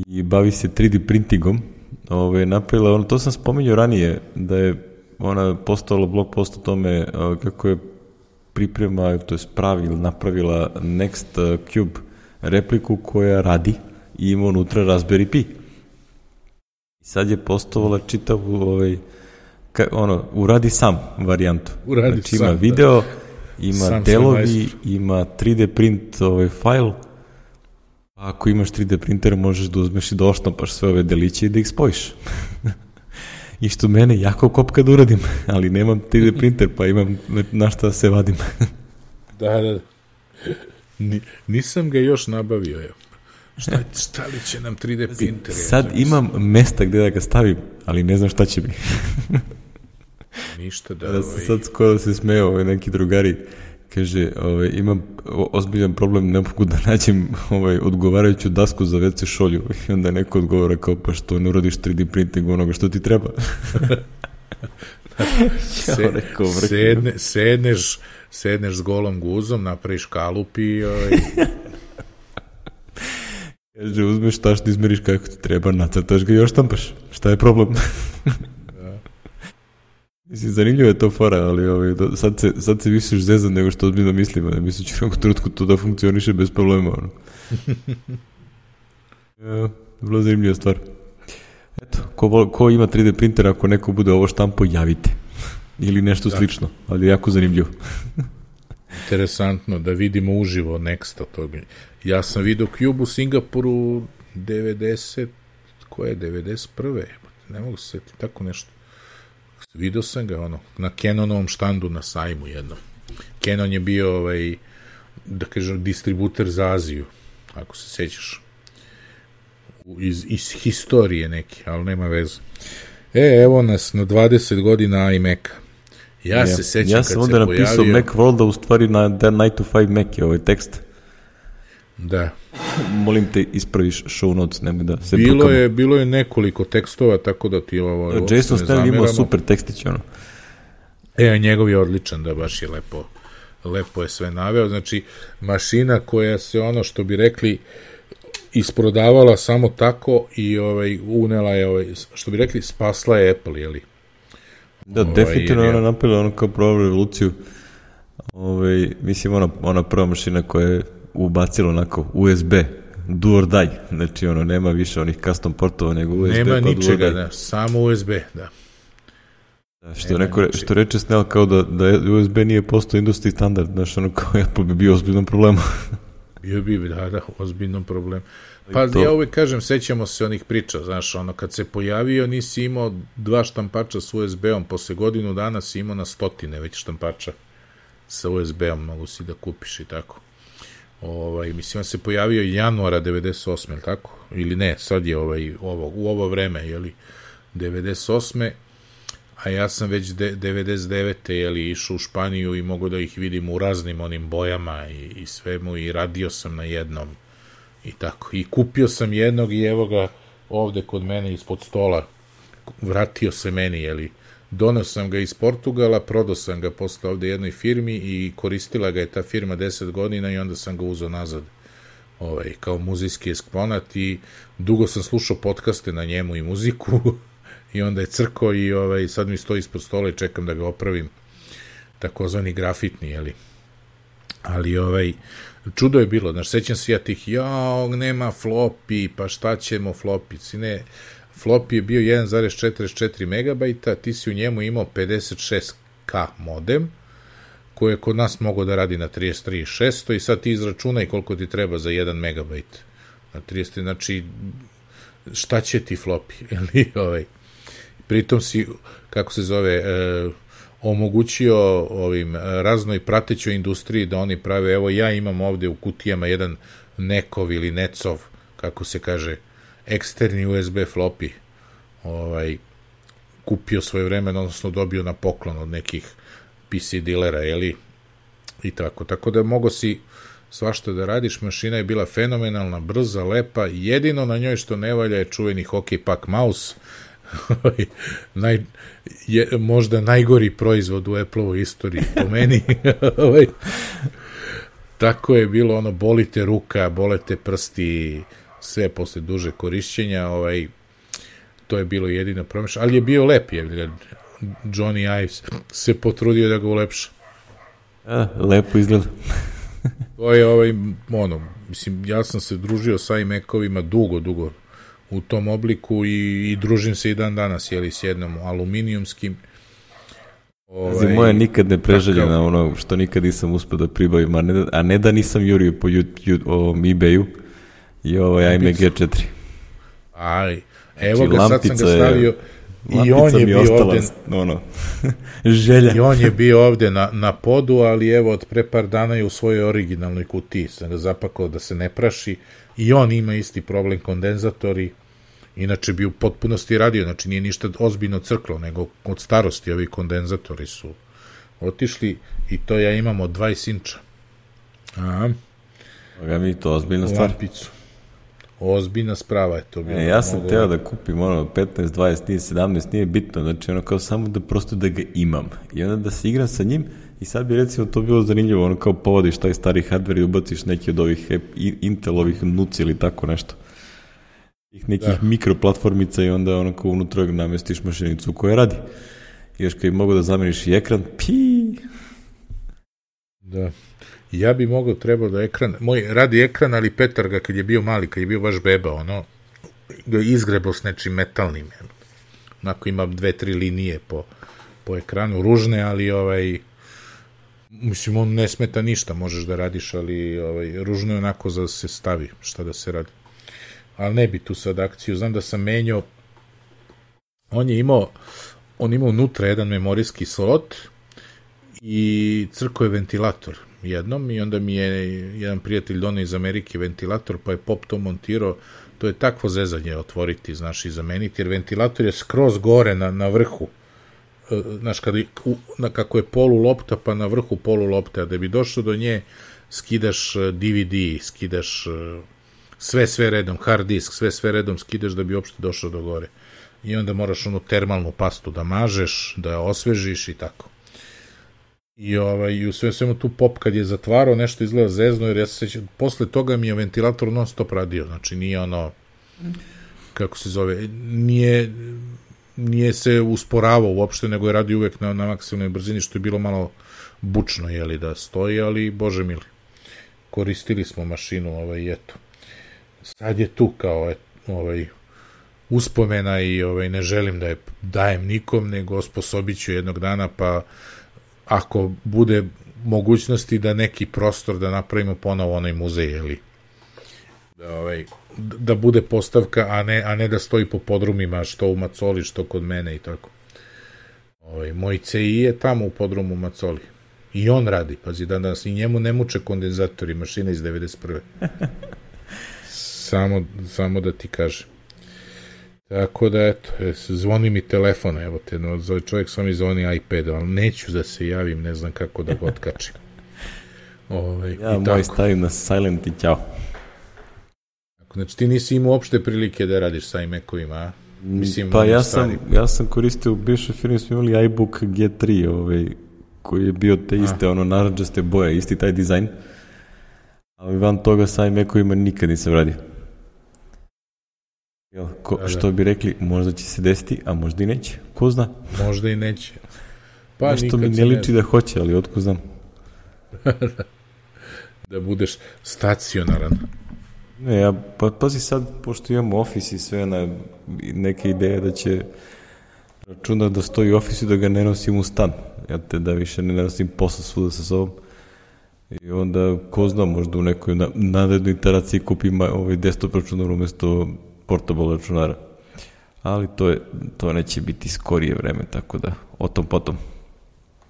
i bavi se tri D printingom, ovaj, napravila, ono, to sam spominjao ranije, da je ona postavila blog post o tome kako je priprema, to je pravi ili napravila Next Cube repliku koja radi i ima unutra Raspberry Pi. I sad je postavila čitavu ovaj, ka, ono, uradi sam varijantu. Uradi znači, sam, ima video, da. ima sam delovi, ima tri D print ovaj, file. Ako imaš tri D printer možeš da uzmeš i da oštampaš sve ove deliće i da ih spojiš. I što mene jako kopka da uradim, ali nemam tri D printer, pa imam na šta se vadim. Da, da. Ni, nisam ga još nabavio, evo. Šta, šta li će nam tri D printer? Sad ja, imam mesta gde da ga stavim, ali ne znam šta će mi. Ništa da... Da ovaj... sad skoro se smeo ovaj, neki drugari, kaže, ovaj, imam ozbiljan problem, ne mogu da nađem ovaj, odgovarajuću dasku za ve ce šolju. I onda neko odgovara kao, pa što ne uradiš tri D printing onoga što ti treba. Se, sedne, sedneš, sedneš s golom guzom, napraviš kalup i... Ovaj... Kaže, uzmeš tašno, izmeriš kako ti treba, nacrtaš ga i još štampaš. Šta je problem? Mislim, zanimljivo je to fora, ali ovaj, sad, se, sad se više zezan nego što ozbiljno mislimo. Ne mislim, ću u nekom trenutku to da funkcioniše bez problema. Ono. Ja, vrlo zanimljiva stvar. Eto, ko, ko ima tri D printer, ako neko bude ovo štampo, javite. Ili nešto da. Slično, ali jako zanimljivo. Interesantno da vidimo uživo Nexta toga. Ja sam vidio Cube u Singapuru devedeset, koje je, devedeset prve Ne mogu se setiti, tako nešto. Vidio sam ga, ono, na Canonovom štandu na sajmu jednom. Canon je bio, ovaj, da kažem, distributer za Aziju, ako se sećaš. Iz, iz historije neki, ali nema veze. E, evo nas na dvadeset godina iMac-a. Ja, ja se sećam ja kad se pojavio... Ja sam onda napisao Mac World-a, u stvari na The nine to five Mac je ovaj tekst. Da. Molim te, ispraviš show notes, nemoj da se bilo brukamo. je, bilo je nekoliko tekstova, tako da ti ovo... Da, Jason Snell imao super tekstić, ono. E, njegov je odličan, da, baš je lepo, lepo je sve naveo. Znači, mašina koja se, ono što bi rekli, isprodavala samo tako i ovaj, unela je, ovaj, što bi rekli, spasla je Apple, jeli? Da, ovaj, definitivno je ona napravila ono kao pravu revoluciju. Ovaj, mislim, ona, ona prva mašina koja je ubacila onako U S B, do or die, znači ono, nema više onih custom portova, nego U S B. Nema ničega, da, samo U S B, da. Da, što, neko, što reče Snell, kao da, da U S B nije postao industry standard, znaš, ono kao Apple bi bio ozbiljnom problemu. Bio bi, da, da, ozbiljnom problemu. Pa to... ja uvek kažem, sećamo se onih priča, znaš, ono, kad se pojavio, nisi imao dva štampača s U S B-om, posle godinu dana si imao na stotine već štampača sa U S B-om, mogu si da kupiš i tako. Ovaj, mislim, on se pojavio januara devedeset osme, ili tako? Ili ne, sad je ovaj, ovo, u ovo vreme, jeli, devedeset osme a ja sam već de, devedeset devete jeli, išao u Španiju i mogu da ih vidim u raznim onim bojama i, i svemu i radio sam na jednom i tako. I kupio sam jednog i evo ga ovde kod mene ispod stola. Vratio se meni, jeli. Donao sam ga iz Portugala, prodao sam ga posle ovde jednoj firmi i koristila ga je ta firma deset godina i onda sam ga uzeo nazad ovaj, kao muzejski eksponat i dugo sam slušao podcaste na njemu i muziku i onda je crko i ovaj, sad mi stoji ispod stola i čekam da ga opravim takozvani grafitni, jeli. Ali ovaj, čudo je bilo, znaš, sećam se ja tih, jao, nema floppy, pa šta ćemo floppy, ne, floppy je bio jedan zarez četrdeset četiri megabajta, ti si u njemu imao pedeset šest ka modem, koji je kod nas mogao da radi na trideset tri šesto i sad ti izračunaj koliko ti treba za jedan megabajt. Na trideset tri, znači, šta će ti floppy, ili ovaj, pritom si, kako se zove, e, omogućio ovim raznoj pratećoj industriji da oni prave, evo ja imam ovde u kutijama jedan nekov ili necov, kako se kaže, eksterni U S B floppy, ovaj, kupio svoje vremena, odnosno dobio na poklon od nekih P C dilera, jeli, i tako, tako da mogo si svašta da radiš, mašina je bila fenomenalna, brza, lepa, jedino na njoj što ne valja je čuveni Hockey Puck mouse, Naj, je, možda najgori proizvod u Apple-ovoj istoriji po meni. Tako je bilo, ono, bolite ruka, bolete prsti, sve posle duže korišćenja, ovaj, to je bilo jedino promešano, ali je bio lep, je, Johnny Ives se potrudio da ga ulepša. A, lepo izgleda. To je, ovaj, ono, mislim, ja sam se družio sa iMac-ovima dugo, dugo u tom obliku i, i družim se i dan danas, jeli, s jednom aluminijumskim. Ovaj, moja nikad ne preželjena ono što nikad nisam uspio da pribavim, a ne, a ne da nisam jurio po YouTube, ovom eBayu i ovaj iMac G četiri. Aj, evo znači, ga, sad sam ga stavio i on je bio ostala, ovde, ono, želja. I on je bio ovde na, na podu, ali evo od pre par dana je u svojoj originalnoj kutiji, sam ga zapakao da se ne praši. I on ima isti problem, kondenzatori, inače bi u potpunosti radio, znači nije ništa ozbiljno crklo, nego od starosti ovi kondenzatori su otišli i to ja imam od dvadeset inča. Aha. Oga mi to ozbiljna stvar. Lampicu. Ozbiljna sprava je to bilo. E, ja sam mogu... teo da kupim ono petnaest, dvadeset, nije sedamnaest, nije bitno, znači ono kao samo da prosto da ga imam i onda da se igram sa njim. I sad bi recimo to bilo zanimljivo, ono kao povodiš taj stari hardware i ubaciš neki od ovih Intelovih nuci ili tako nešto. Ih nekih da. Mikroplatformica i onda ono kao unutra namestiš mašinicu koja radi. I još kad bi mogo da zameniš i ekran, pi. Da. Ja bi mogao, trebao da ekran, moj radi ekran, ali Petar ga kad je bio mali, kad je bio baš beba, ono, ga izgrebao s nečim metalnim. Onako ima dve, tri linije po, po ekranu, ružne, ali ovaj... Mislim, on ne smeta ništa, možeš da radiš, ali ovaj, ružno je onako za da se stavi, šta da se radi. Ali ne bi tu sad akciju, znam da sam menjao, on je imao, on imao unutra jedan memorijski slot i crko je ventilator jednom i onda mi je jedan prijatelj donio iz Amerike ventilator, pa je pop to montirao, to je takvo zezanje otvoriti, znaš, i zameniti, jer ventilator je skroz gore na, na vrhu. Znaš, kada, na, kako je polu lopta, pa na vrhu polu lopte, a da bi došao do nje, skidaš D V D, skidaš sve, sve redom, hard disk, sve, sve redom skidaš da bi uopšte došao do gore. I onda moraš onu termalnu pastu da mažeš, da je osvežiš i tako. I, ovaj, i u sve svemu tu pop kad je zatvarao, nešto izgleda zezno, jer ja se sećam, posle toga mi je ventilator non stop radio, znači nije ono, kako se zove, nije... nije se usporavao uopšte, nego je radio uvek na, na maksimalnoj brzini, što je bilo malo bučno, jeli, da stoji, ali, bože mili, koristili smo mašinu, ovaj, eto. Sad je tu kao, et, ovaj, uspomena i ovaj, ne želim da je dajem nikom, nego osposobit ću jednog dana, pa ako bude mogućnosti da neki prostor da napravimo ponovo onaj muzej, jeli, da, ovaj, da bude postavka, a ne, a ne da stoji po podrumima, što u Macoli, što kod mene i tako. Ovaj, moj C I je tamo u podrumu Macoli. I on radi, pazi, dan danas. I njemu ne muče kondenzatori, mašina iz devedeset prve samo, samo da ti kažem. Tako da, eto, zvoni mi telefon, evo te, no, zove čovjek sam mi zvoni iPad, ali neću da se javim, ne znam kako da ga otkačim. Ovaj, ja moj tako stavim na silent i ćao. Znači ti nisi imao uopšte prilike da radiš sa iMac-ovima, a? Mislim, pa ja sam, ja sam koristio u bivšoj firmi, smo imali iBook G tri, ovaj, koji je bio te iste, a. ono, naranđaste boje, isti taj dizajn, ali van toga sa iMac-ovima nikad nisam radio. Jel, ko, da, što da. bi rekli, možda će se desiti, a možda i neće, ko zna? Možda i neće. Pa nešto mi ne liči da hoće, ali otko znam. Da budeš stacionaran. Ne, ja, pa pazi sad, pošto imamo ofis i sve, na neke ideje da će računat da stoji u ofisu i da ga ne nosim u stan. Ja te da više ne nosim posla svuda sa sobom. I onda, ko zna, možda u nekoj na, narednoj iteraciji kupim ovaj desktop računar umjesto portable računara. Ali to, je, to neće biti skorije vreme, tako da, o tom potom.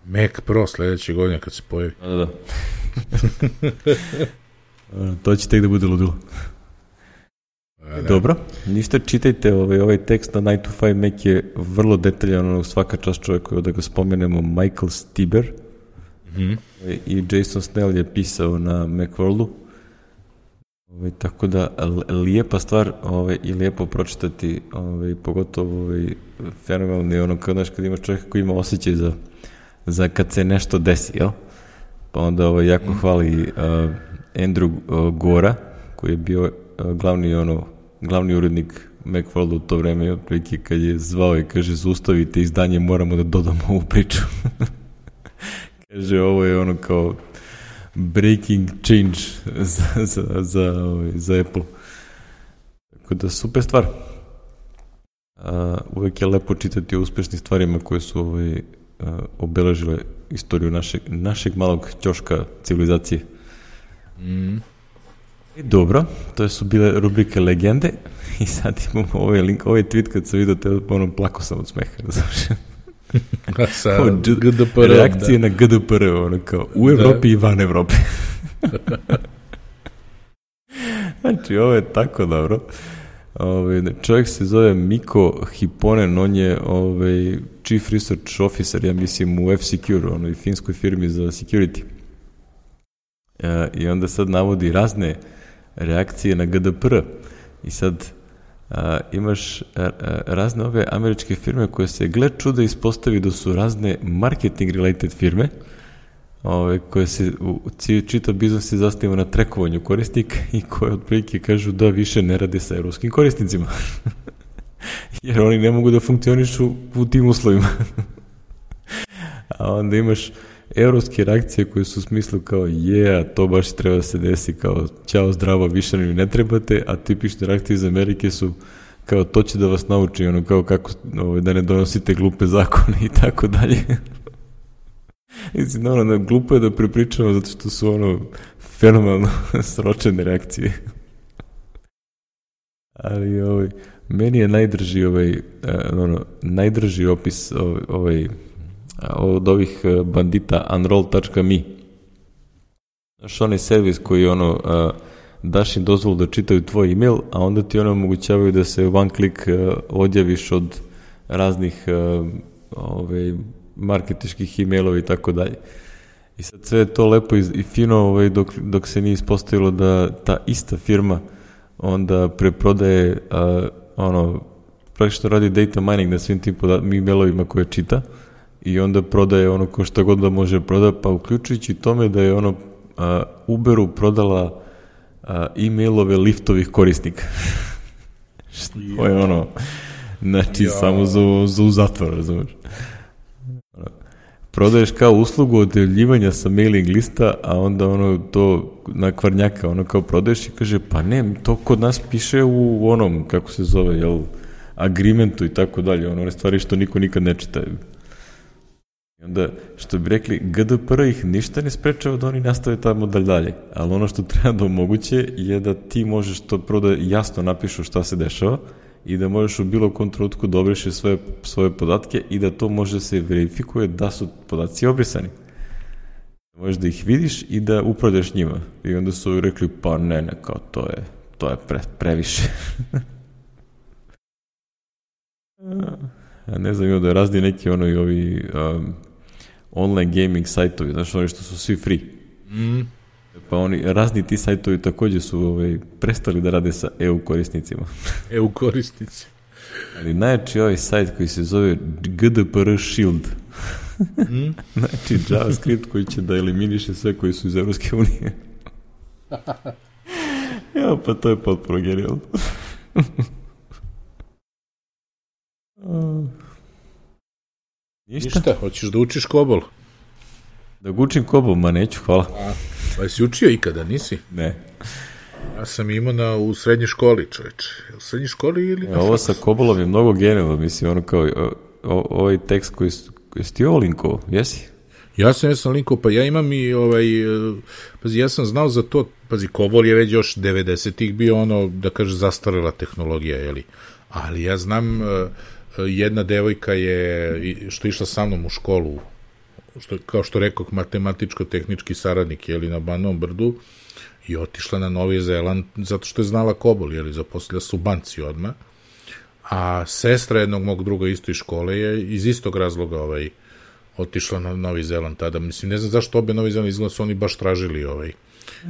Mac Pro sledeće godine kad se pojavi. Da, da. To će tek da bude ludilo. Da. Dobro, ništa, čitajte ovaj, ovaj tekst na nine to five Mac je vrlo detaljan, svaka čast čovjeku, da ga spomenemo, Michael Stiber. Mm-hmm. I Jason Snell je pisao na Macworldu. Ovaj, tako da, lijepa stvar ovaj, i lijepo pročitati, ovaj, pogotovo ovaj, fenomenalno ono, kad, znaš, kad imaš čovjeka koji ima osjećaj za, za kad se nešto desi, jel? Pa onda ovaj, jako mm. hvali uh, Andrew uh, Gora, koji je bio uh, glavni, ono, glavni urednik Macworlda u to vreme, otprilike kad je zvao i kaže, zaustavite izdanje, moramo da dodamo ovu priču. Kaže, ovo je ono kao breaking change za, za, za, ovaj, za Apple. Tako da, super stvar. Uh, uvek je lepo čitati o uspešnim stvarima koje su ovaj, uh, obeležile istoriju našeg, našeg malog ćoška civilizacije. Mm. I dobro, to su bile rubrike legende i sad imamo ovaj link, ovaj tweet kad sam vidio te, ono, plako sam od smeha, razumiješ? Sa G D P R, reakcije da. Na G D P R, ono kao u Evropi da. I van Evrope. Znači, ovo je tako dobro. Ove, čovjek se zove Miko Hiponen, on je ove, Chief Research Officer, ja mislim, u F-Secure, onoj finskoj firmi za security. E, I onda sad navodi razne reakcije na G D P R. I sad a, imaš a, a, razne ove američke firme koje se, gle čuda, ispostavi da su razne marketing related firme, ove, koje se u čitav biznis se zasniva na trekovanju korisnika i koje otprilike kažu da više ne rade sa evropskim korisnicima. Jer oni ne mogu da funkcionišu u tim uslovima. A onda imaš evropske reakcije koje su u smislu kao je, to baš treba da se desi, kao ćao, zdravo, više mi ne trebate, a tipične reakcije iz Amerike su kao to će da vas nauči, ono kao kako ovaj, da ne donosite glupe zakone i tako dalje. Mislim, ono, glupo je da prepričamo zato što su ono fenomenalno sročene reakcije. Ali ovaj, meni je najdrži ovaj, ono, najdrži opis ovaj, ovaj od ovih bandita unroll dot me. Znaš, onaj servis koji ono, uh, daš im dozvolu da čitaju tvoj email, a onda ti ono omogućavaju da se one click uh, odjaviš od raznih uh, ovaj, marketičkih emailova i tako dalje. I sad sve je to lepo i, i fino ovaj, dok, dok se nije ispostavilo da ta ista firma onda preprodaje uh, ono, praktično radi data mining na svim tim poda- emailovima koje čita i onda prodaje ono ko šta god da može proda, pa uključujući tome da je ono uh, Uberu prodala uh, e-mailove liftovih korisnika. Što je ono, znači ja. samo za, za u zatvor, razumiješ. Prodaješ kao uslugu odjavljivanja sa mailing lista, a onda ono to na kvarnjaka, ono kao prodaješ i kaže, pa ne, to kod nas piše u onom, kako se zove, jel, agreementu i tako dalje, ono, one stvari što niko nikad ne čita. I onda, što bi rekli, G D P R ih ništa ne sprečava da oni nastave tamo dalje, ali ono što treba da omoguće je da ti možeš to prvo da jasno napišu šta se dešava i da možeš u bilo kom trenutku da obrišeš svoje, svoje podatke i da to može se verifikuje da su podaci obrisani. Možeš da ih vidiš i da upravljaš njima. I onda su rekli, pa ne, ne, kao to je, to je pre, previše. Ja ne znam, da razni neki ono i ovi um, online gaming sajtovi, znaš, oni što su svi free. Mm. Pa oni, razni ti sajtovi također su ovaj, prestali da rade sa E U korisnicima. E U korisnici. Ali najjači ovaj sajt koji se zove G D P R Shield. Mm? Znači JavaScript koji će da eliminiše sve koji su iz Evropske unije. Ja, pa to je potpuno genijalno. Ništa? Ništa, hoćeš da učiš kobol? Da učim kobol, ma neću, hvala. A, pa si učio ikada, nisi? Ne. Ja sam imao na, u srednjoj školi, čoveče. U srednjoj školi ili... Ja, ovo sa kobolom je mnogo genijalno, mislim, ono kao, o, o, ovaj tekst koji, koji si ti ovo linkovo, jesi? Ja sam, ja sam linkovo, pa ja imam i, ovaj, pazi, ja sam znao za to, pazi, kobol je već još devedesetih bio ono, da kaže, zastarela tehnologija, jeli? Ali ja znam, jedna devojka je, što je išla sa mnom u školu, što, kao što rekao, matematičko-tehnički saradnik, jeli, na Banovom brdu, i otišla na Novi Zeland zato što je znala kobol, jeli, zaposlila su u banci odmah, a sestra jednog mog druga isto iz škole je iz istog razloga ovaj, otišla na Novi Zeland tada. Mislim, ne znam zašto obe Novi Zeland izgleda su oni baš tražili ovaj.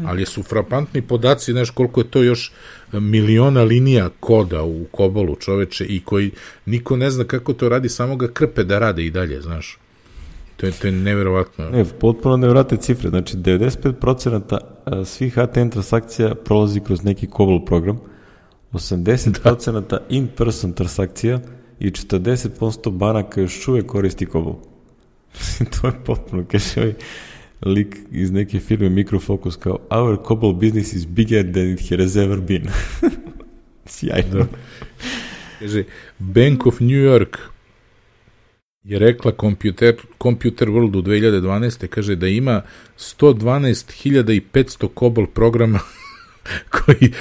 Ali su frapantni podaci, znaš koliko je to još miliona linija koda u kobolu, čoveče, i koji niko ne zna kako to radi, samo ga krpe da rade i dalje, znaš. To je, to je neverovatno. Ne, potpuno neverovatne cifre. Znači, devedeset pet posto svih H T M transakcija prolazi kroz neki kobol program, osamdeset posto da. in-person transakcija i četrdeset posto banaka još uvek koristi kobol. To je potpuno, kaže ovaj lik iz neke firme Microfocus kao our COBOL business is bigger than it has ever been. Sjajno. Da. Kaže, Bank of New York je rekla Computer, Computer World u dve hiljade dvanaeste. Kaže da ima sto dvanaest hiljada petsto COBOL programa koji,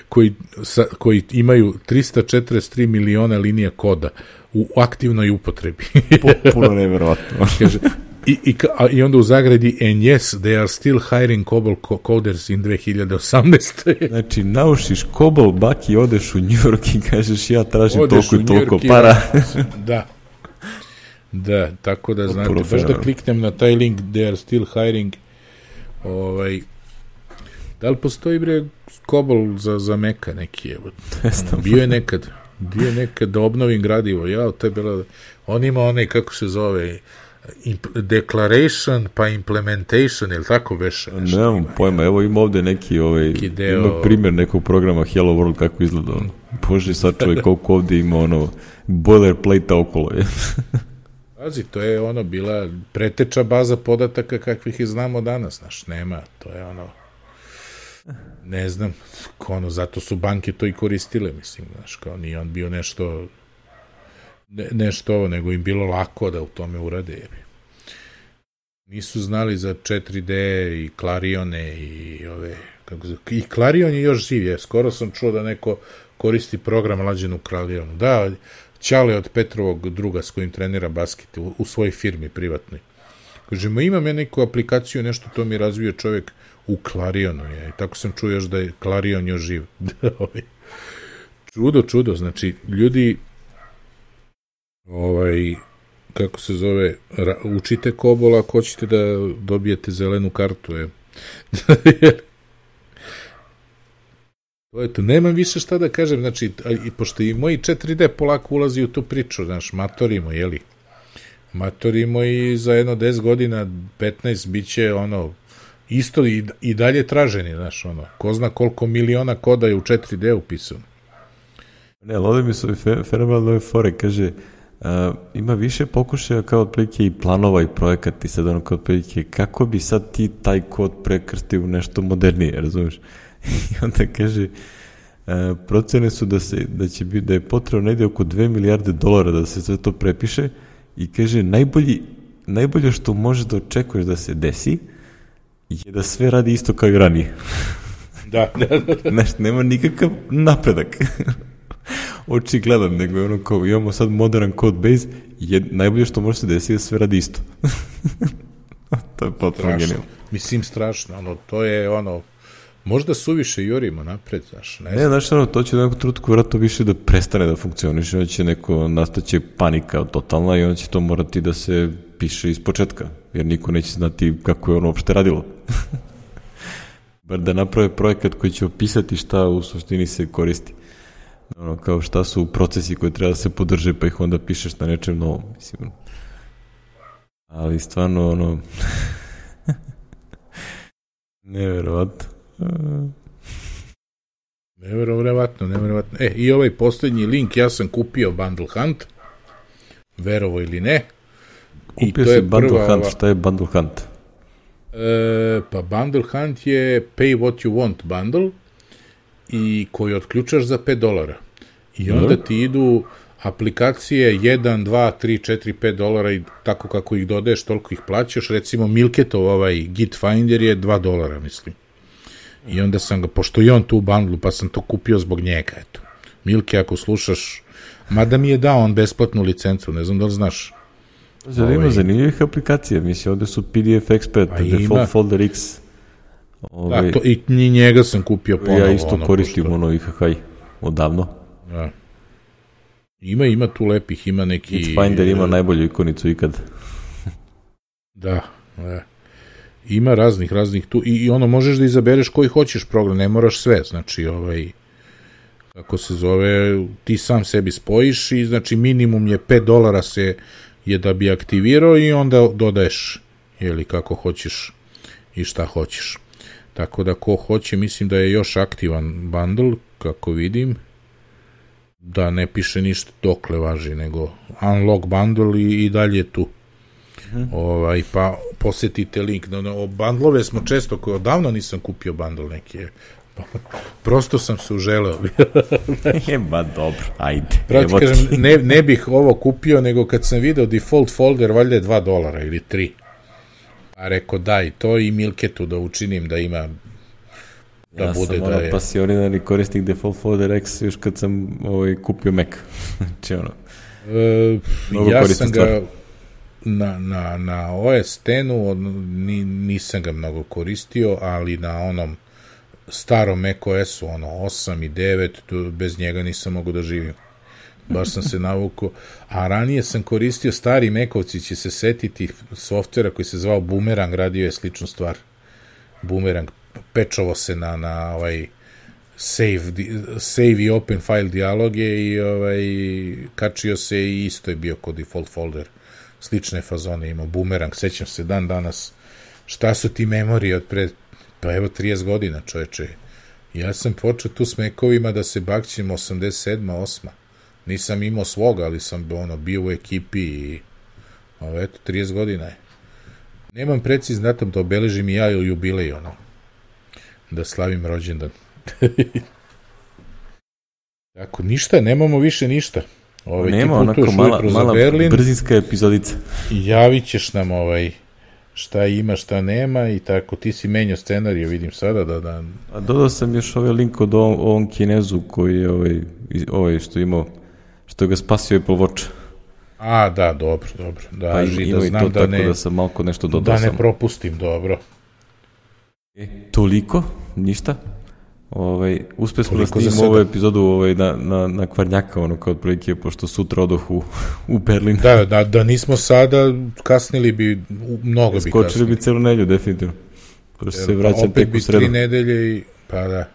koji, sa, koji imaju trista četrdeset tri miliona linija koda u aktivnoj upotrebi. Potpuno neverovatno. Kaže, I, i, a, i onda u zagradi and yes, they are still hiring COBOL coders in dve hiljade osamnaeste. Znači, naušiš COBOL, baki, odeš u New York i kažeš ja tražim odeš toliko i toliko para. Da. Da, tako da znate, baš da kliknem na taj link, they are still hiring. Ovaj, da li postoji bre COBOL za, za Meka neki? Evo, ono, bio je nekad, bio je nekad da obnovim gradivo. Ja, to je bilo, on ima onaj, kako se zove, declaration pa implementation, ili tako beše? Nemam pojma, evo ima ovde neki, ovaj, neki deo... ima primjer nekog programa Hello World kako izgleda ono. Bože, sad čovjek koliko ovde ima ono boilerplate-a okolo je. Pazi, to je ono bila preteča baza podataka kakvih ih znamo danas, znaš, nema, to je ono, ne znam, ono, zato su banke to i koristile, mislim, znaš, kao nije on bio nešto ne, nešto ovo, nego im bilo lako da u tome urade, jebi. Nisu znali za četiri D i Clarione i ove, kako se, i Clarion je još živ, je, skoro sam čuo da neko koristi program lađen u Clarionu, da, Ćale od Petrovog druga s kojim trenira basket u, u svojoj firmi privatnoj. Kažemo, imam ja neku aplikaciju, nešto to mi razvio čovjek u Clarionu, je, i tako sam čuo još da je Clarion još živ. Čudo, čudo, znači, ljudi ovaj, kako se zove, ra, učite COBOL ako hoćete da dobijete zelenu kartu, je. To je to, nemam više šta da kažem, znači, i pošto i moji četiri D polako ulazi u tu priču, znaš, matorimo, jeli, matorimo i za jedno deset godina, petnaest, bit će, ono, isto i, i dalje traženi, znaš, ono, ko zna koliko miliona koda je u četiri D upisano. Ne, ali ovdje mi su fe, fenomenalne fore, kaže, uh, ima više pokušaja kao otprilike i planova i projekata i sad ono kao otprilike, kako bi sad ti taj kod prekrstio u nešto modernije, razumiješ? I onda kaže, uh, procene su da, se, da, će biti, da je potrebno negdje oko dve milijarde dolara da se sve to prepiše i kaže, najbolji, najbolje što možeš da očekuješ da se desi je da sve radi isto kao i ranije. Da, da, da. Znaš, nema nikakav napredak. Očigledan, nego je ono kao, imamo sad modern code base i najbolje što može se desiti da sve radi isto. To je potpuno genijalno. Mislim, strašno, ono, to je ono, možda suviše jurimo napred, znaš, ne znam. Ne, znaš, ono, to će u nekom trenutku vratno više da prestane da funkcioniše, onda će neko, nastaće panika totalna i onda će to morati da se piše iz početka, jer niko neće znati kako je ono uopšte radilo. Bar da naprave projekat koji će opisati šta u suštini se koristi. Ono, kao šta su procesi koji treba da se podrže, pa ih onda pišeš na nečem novom, mislim. Ali stvarno, ono, neverovatno. Neverovatno, neverovatno. E, i ovaj posljednji link, ja sam kupio Bundle Hunt, verovo ili ne, Kupio si Bundle prva, Hunt, šta je Bundle Hunt? E, pa Bundle Hunt je pay what you want bundle i koji otključaš za pet dolara. I onda ti idu aplikacije jedan, dva, tri, četiri, pet dolara i tako kako ih dodaješ, toliko ih plaćaš. Recimo Milketov ovaj Git Finder je dva dolara, mislim. I onda sam ga, pošto je on tu u bundlu, pa sam to kupio zbog njega, eto. Milke, ako slušaš, mada mi je dao on besplatnu licencu, ne znam da li znaš. Zar ima ovaj, zanimljivih aplikacija, mislim, ovde su P D F Expert, Default ima. Folder X. Ovaj, da, to, i njega sam kupio ponovo. Ja isto ono, koristim pošto... ono I H H odavno. Da. Ima, ima tu lepih, ima neki... Finder ima najbolju ikonicu ikad. Da, da. Ima raznih, raznih tu, i, i ono, možeš da izabereš koji hoćeš program, ne moraš sve, znači, ovaj, kako se zove, ti sam sebi spojiš i, znači, minimum je pet dolara se je da bi aktivirao i onda dodaješ, jeli, kako hoćeš i šta hoćeš. Tako da, ko hoće, mislim da je još aktivan bundle, kako vidim, da ne piše ništa dokle važi, nego unlock bundle i, i dalje tu. Hmm. Ovaj, pa posjetite link. No, no, bundlove smo često, koji odavno nisam kupio bundle neki. Prosto sam se uželeo. Je, ba dobro, ajde. Prati, kažem, ne, ne bih ovo kupio, nego kad sam video default folder, valjda je dva dolara ili tri. A rekao daj to i Milketu da učinim da ima da ja bude sam da ono je... pasionirani korisnik default folder X još kad sam ovaj, kupio Mac. Znači ono, e, ja sam ga stvar. na, na, na O S X-u ni, nisam ga mnogo koristio, ali na onom starom macOS-u, ono osam i devet, bez njega nisam mogu da živim. Baš sam se navukao. A ranije sam koristio, stari Macovci će se setiti softvera koji se zvao Boomerang, radio je sličnu stvar. Boomerang, pečovo se na, na ovaj save, save i open file dijaloge i ovaj, kačio se i isto je bio kod default folder. Slične fazone imao Boomerang, sećam se dan danas šta su ti memorije od pre, pa evo trideset godina, čoveče. Ja sam počeo tu s Macovima da se bakćem osamdeset sedma osma Nisam imao svoga, ali sam ono, bio u ekipi i ovo, eto, trideset godina je. Nemam precizan datum da obeležim i ja ili jubilej, ono, da slavim rođendan. Tako, ništa, nemamo više ništa. Ovaj, nema, onako mala, mala brzinska epizodica. I javit ćeš nam ovaj, šta ima, šta nema i tako. Ti si menjao scenariju, vidim sada da... da... A dodao sam još ovaj link od ovom, ovom Kinezu koji je ovaj, ovaj što imao, što ga spasio Apple Watch. A, da, dobro, dobro. Da, pa ima da i to da tako ne, da sam malko nešto dodao. Da ne sam. propustim, dobro. E, toliko, ništa. Ovaj, uspio smo da snimimo ovu epizodu ovaj, na, na, na Kvarnjaka, ono kao otprilike, pošto sutra odoh u, u Berlin. Da, da, da nismo sada, kasnili bi, mnogo bi kasnili. Skočili bi celu nedelju, definitivno. Pošto se vraćam tek u sredu. Opet bi tri nedelje i, pa da,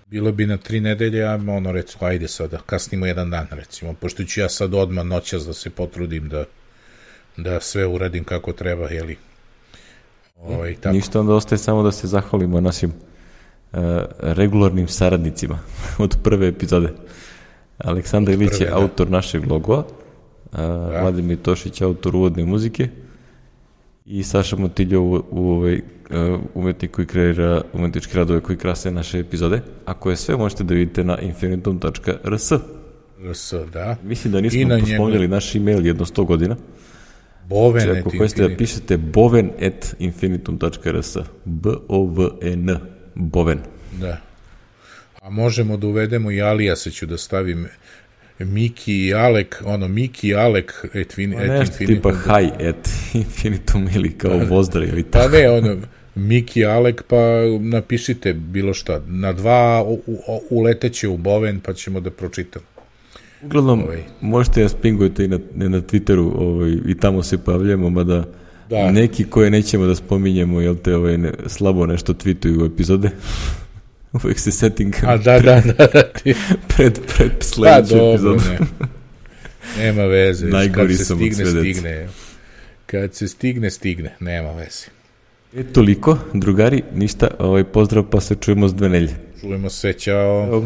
bilo bi na tri nedelje, a ono, recimo, ajde sada, kasnimo jedan dan, recimo, pošto ću ja sad odmah noćas da se potrudim da, da sve uradim kako treba, jeli. Ovaj, tako. Ništa, onda ostaje samo da se zahvalimo našim Uh, regularnim saradnicima od prve epizode. Aleksandar Ilić je autor našeg logova, uh, Vladimir Tošić autor uvodne muzike i Saša Motiljo u, u ovaj, uh, umetnik koji kreira umetničke radove koji krase naše epizode, a koje sve možete da vidite na infinitum tačka r s. rs, da. Mislim da nismo pospominjali njegu... naš email jedno sto godina. Boven znači, ako hoćete da pišete boven at infinitum tačka r s, b o v e n Boven. Da. A možemo da uvedemo i Alijase, ću da stavim Miki i Alek, ono, Miki i Alek et, fin, et nešto tipa hi at infinitum ili kao da, pozdrav ili tako. Pa ne, ono, Miki i Alek, pa napišite bilo šta. Na dva u, u, uleteće u Boven, pa ćemo da pročitamo. Uglavnom, ovaj. Možete da spingujete i na, na Twitteru ovaj, i tamo se pojavljamo, mada da. Neki koje nećemo da spominjemo, jel te ovaj, ne, slabo nešto tweetuju u epizode. Uvijek se setting A da, da, da, da ti... pred, pred sledeću da, epizodu. Ne. Nema veze. Najgori kad se sam stigne, od sve stigne. Kad se stigne, stigne. Nema veze. E, toliko, drugari, ništa. Ovaj, pozdrav, pa se čujemo s dve nelje. Čujemo se, ćao. Ćao.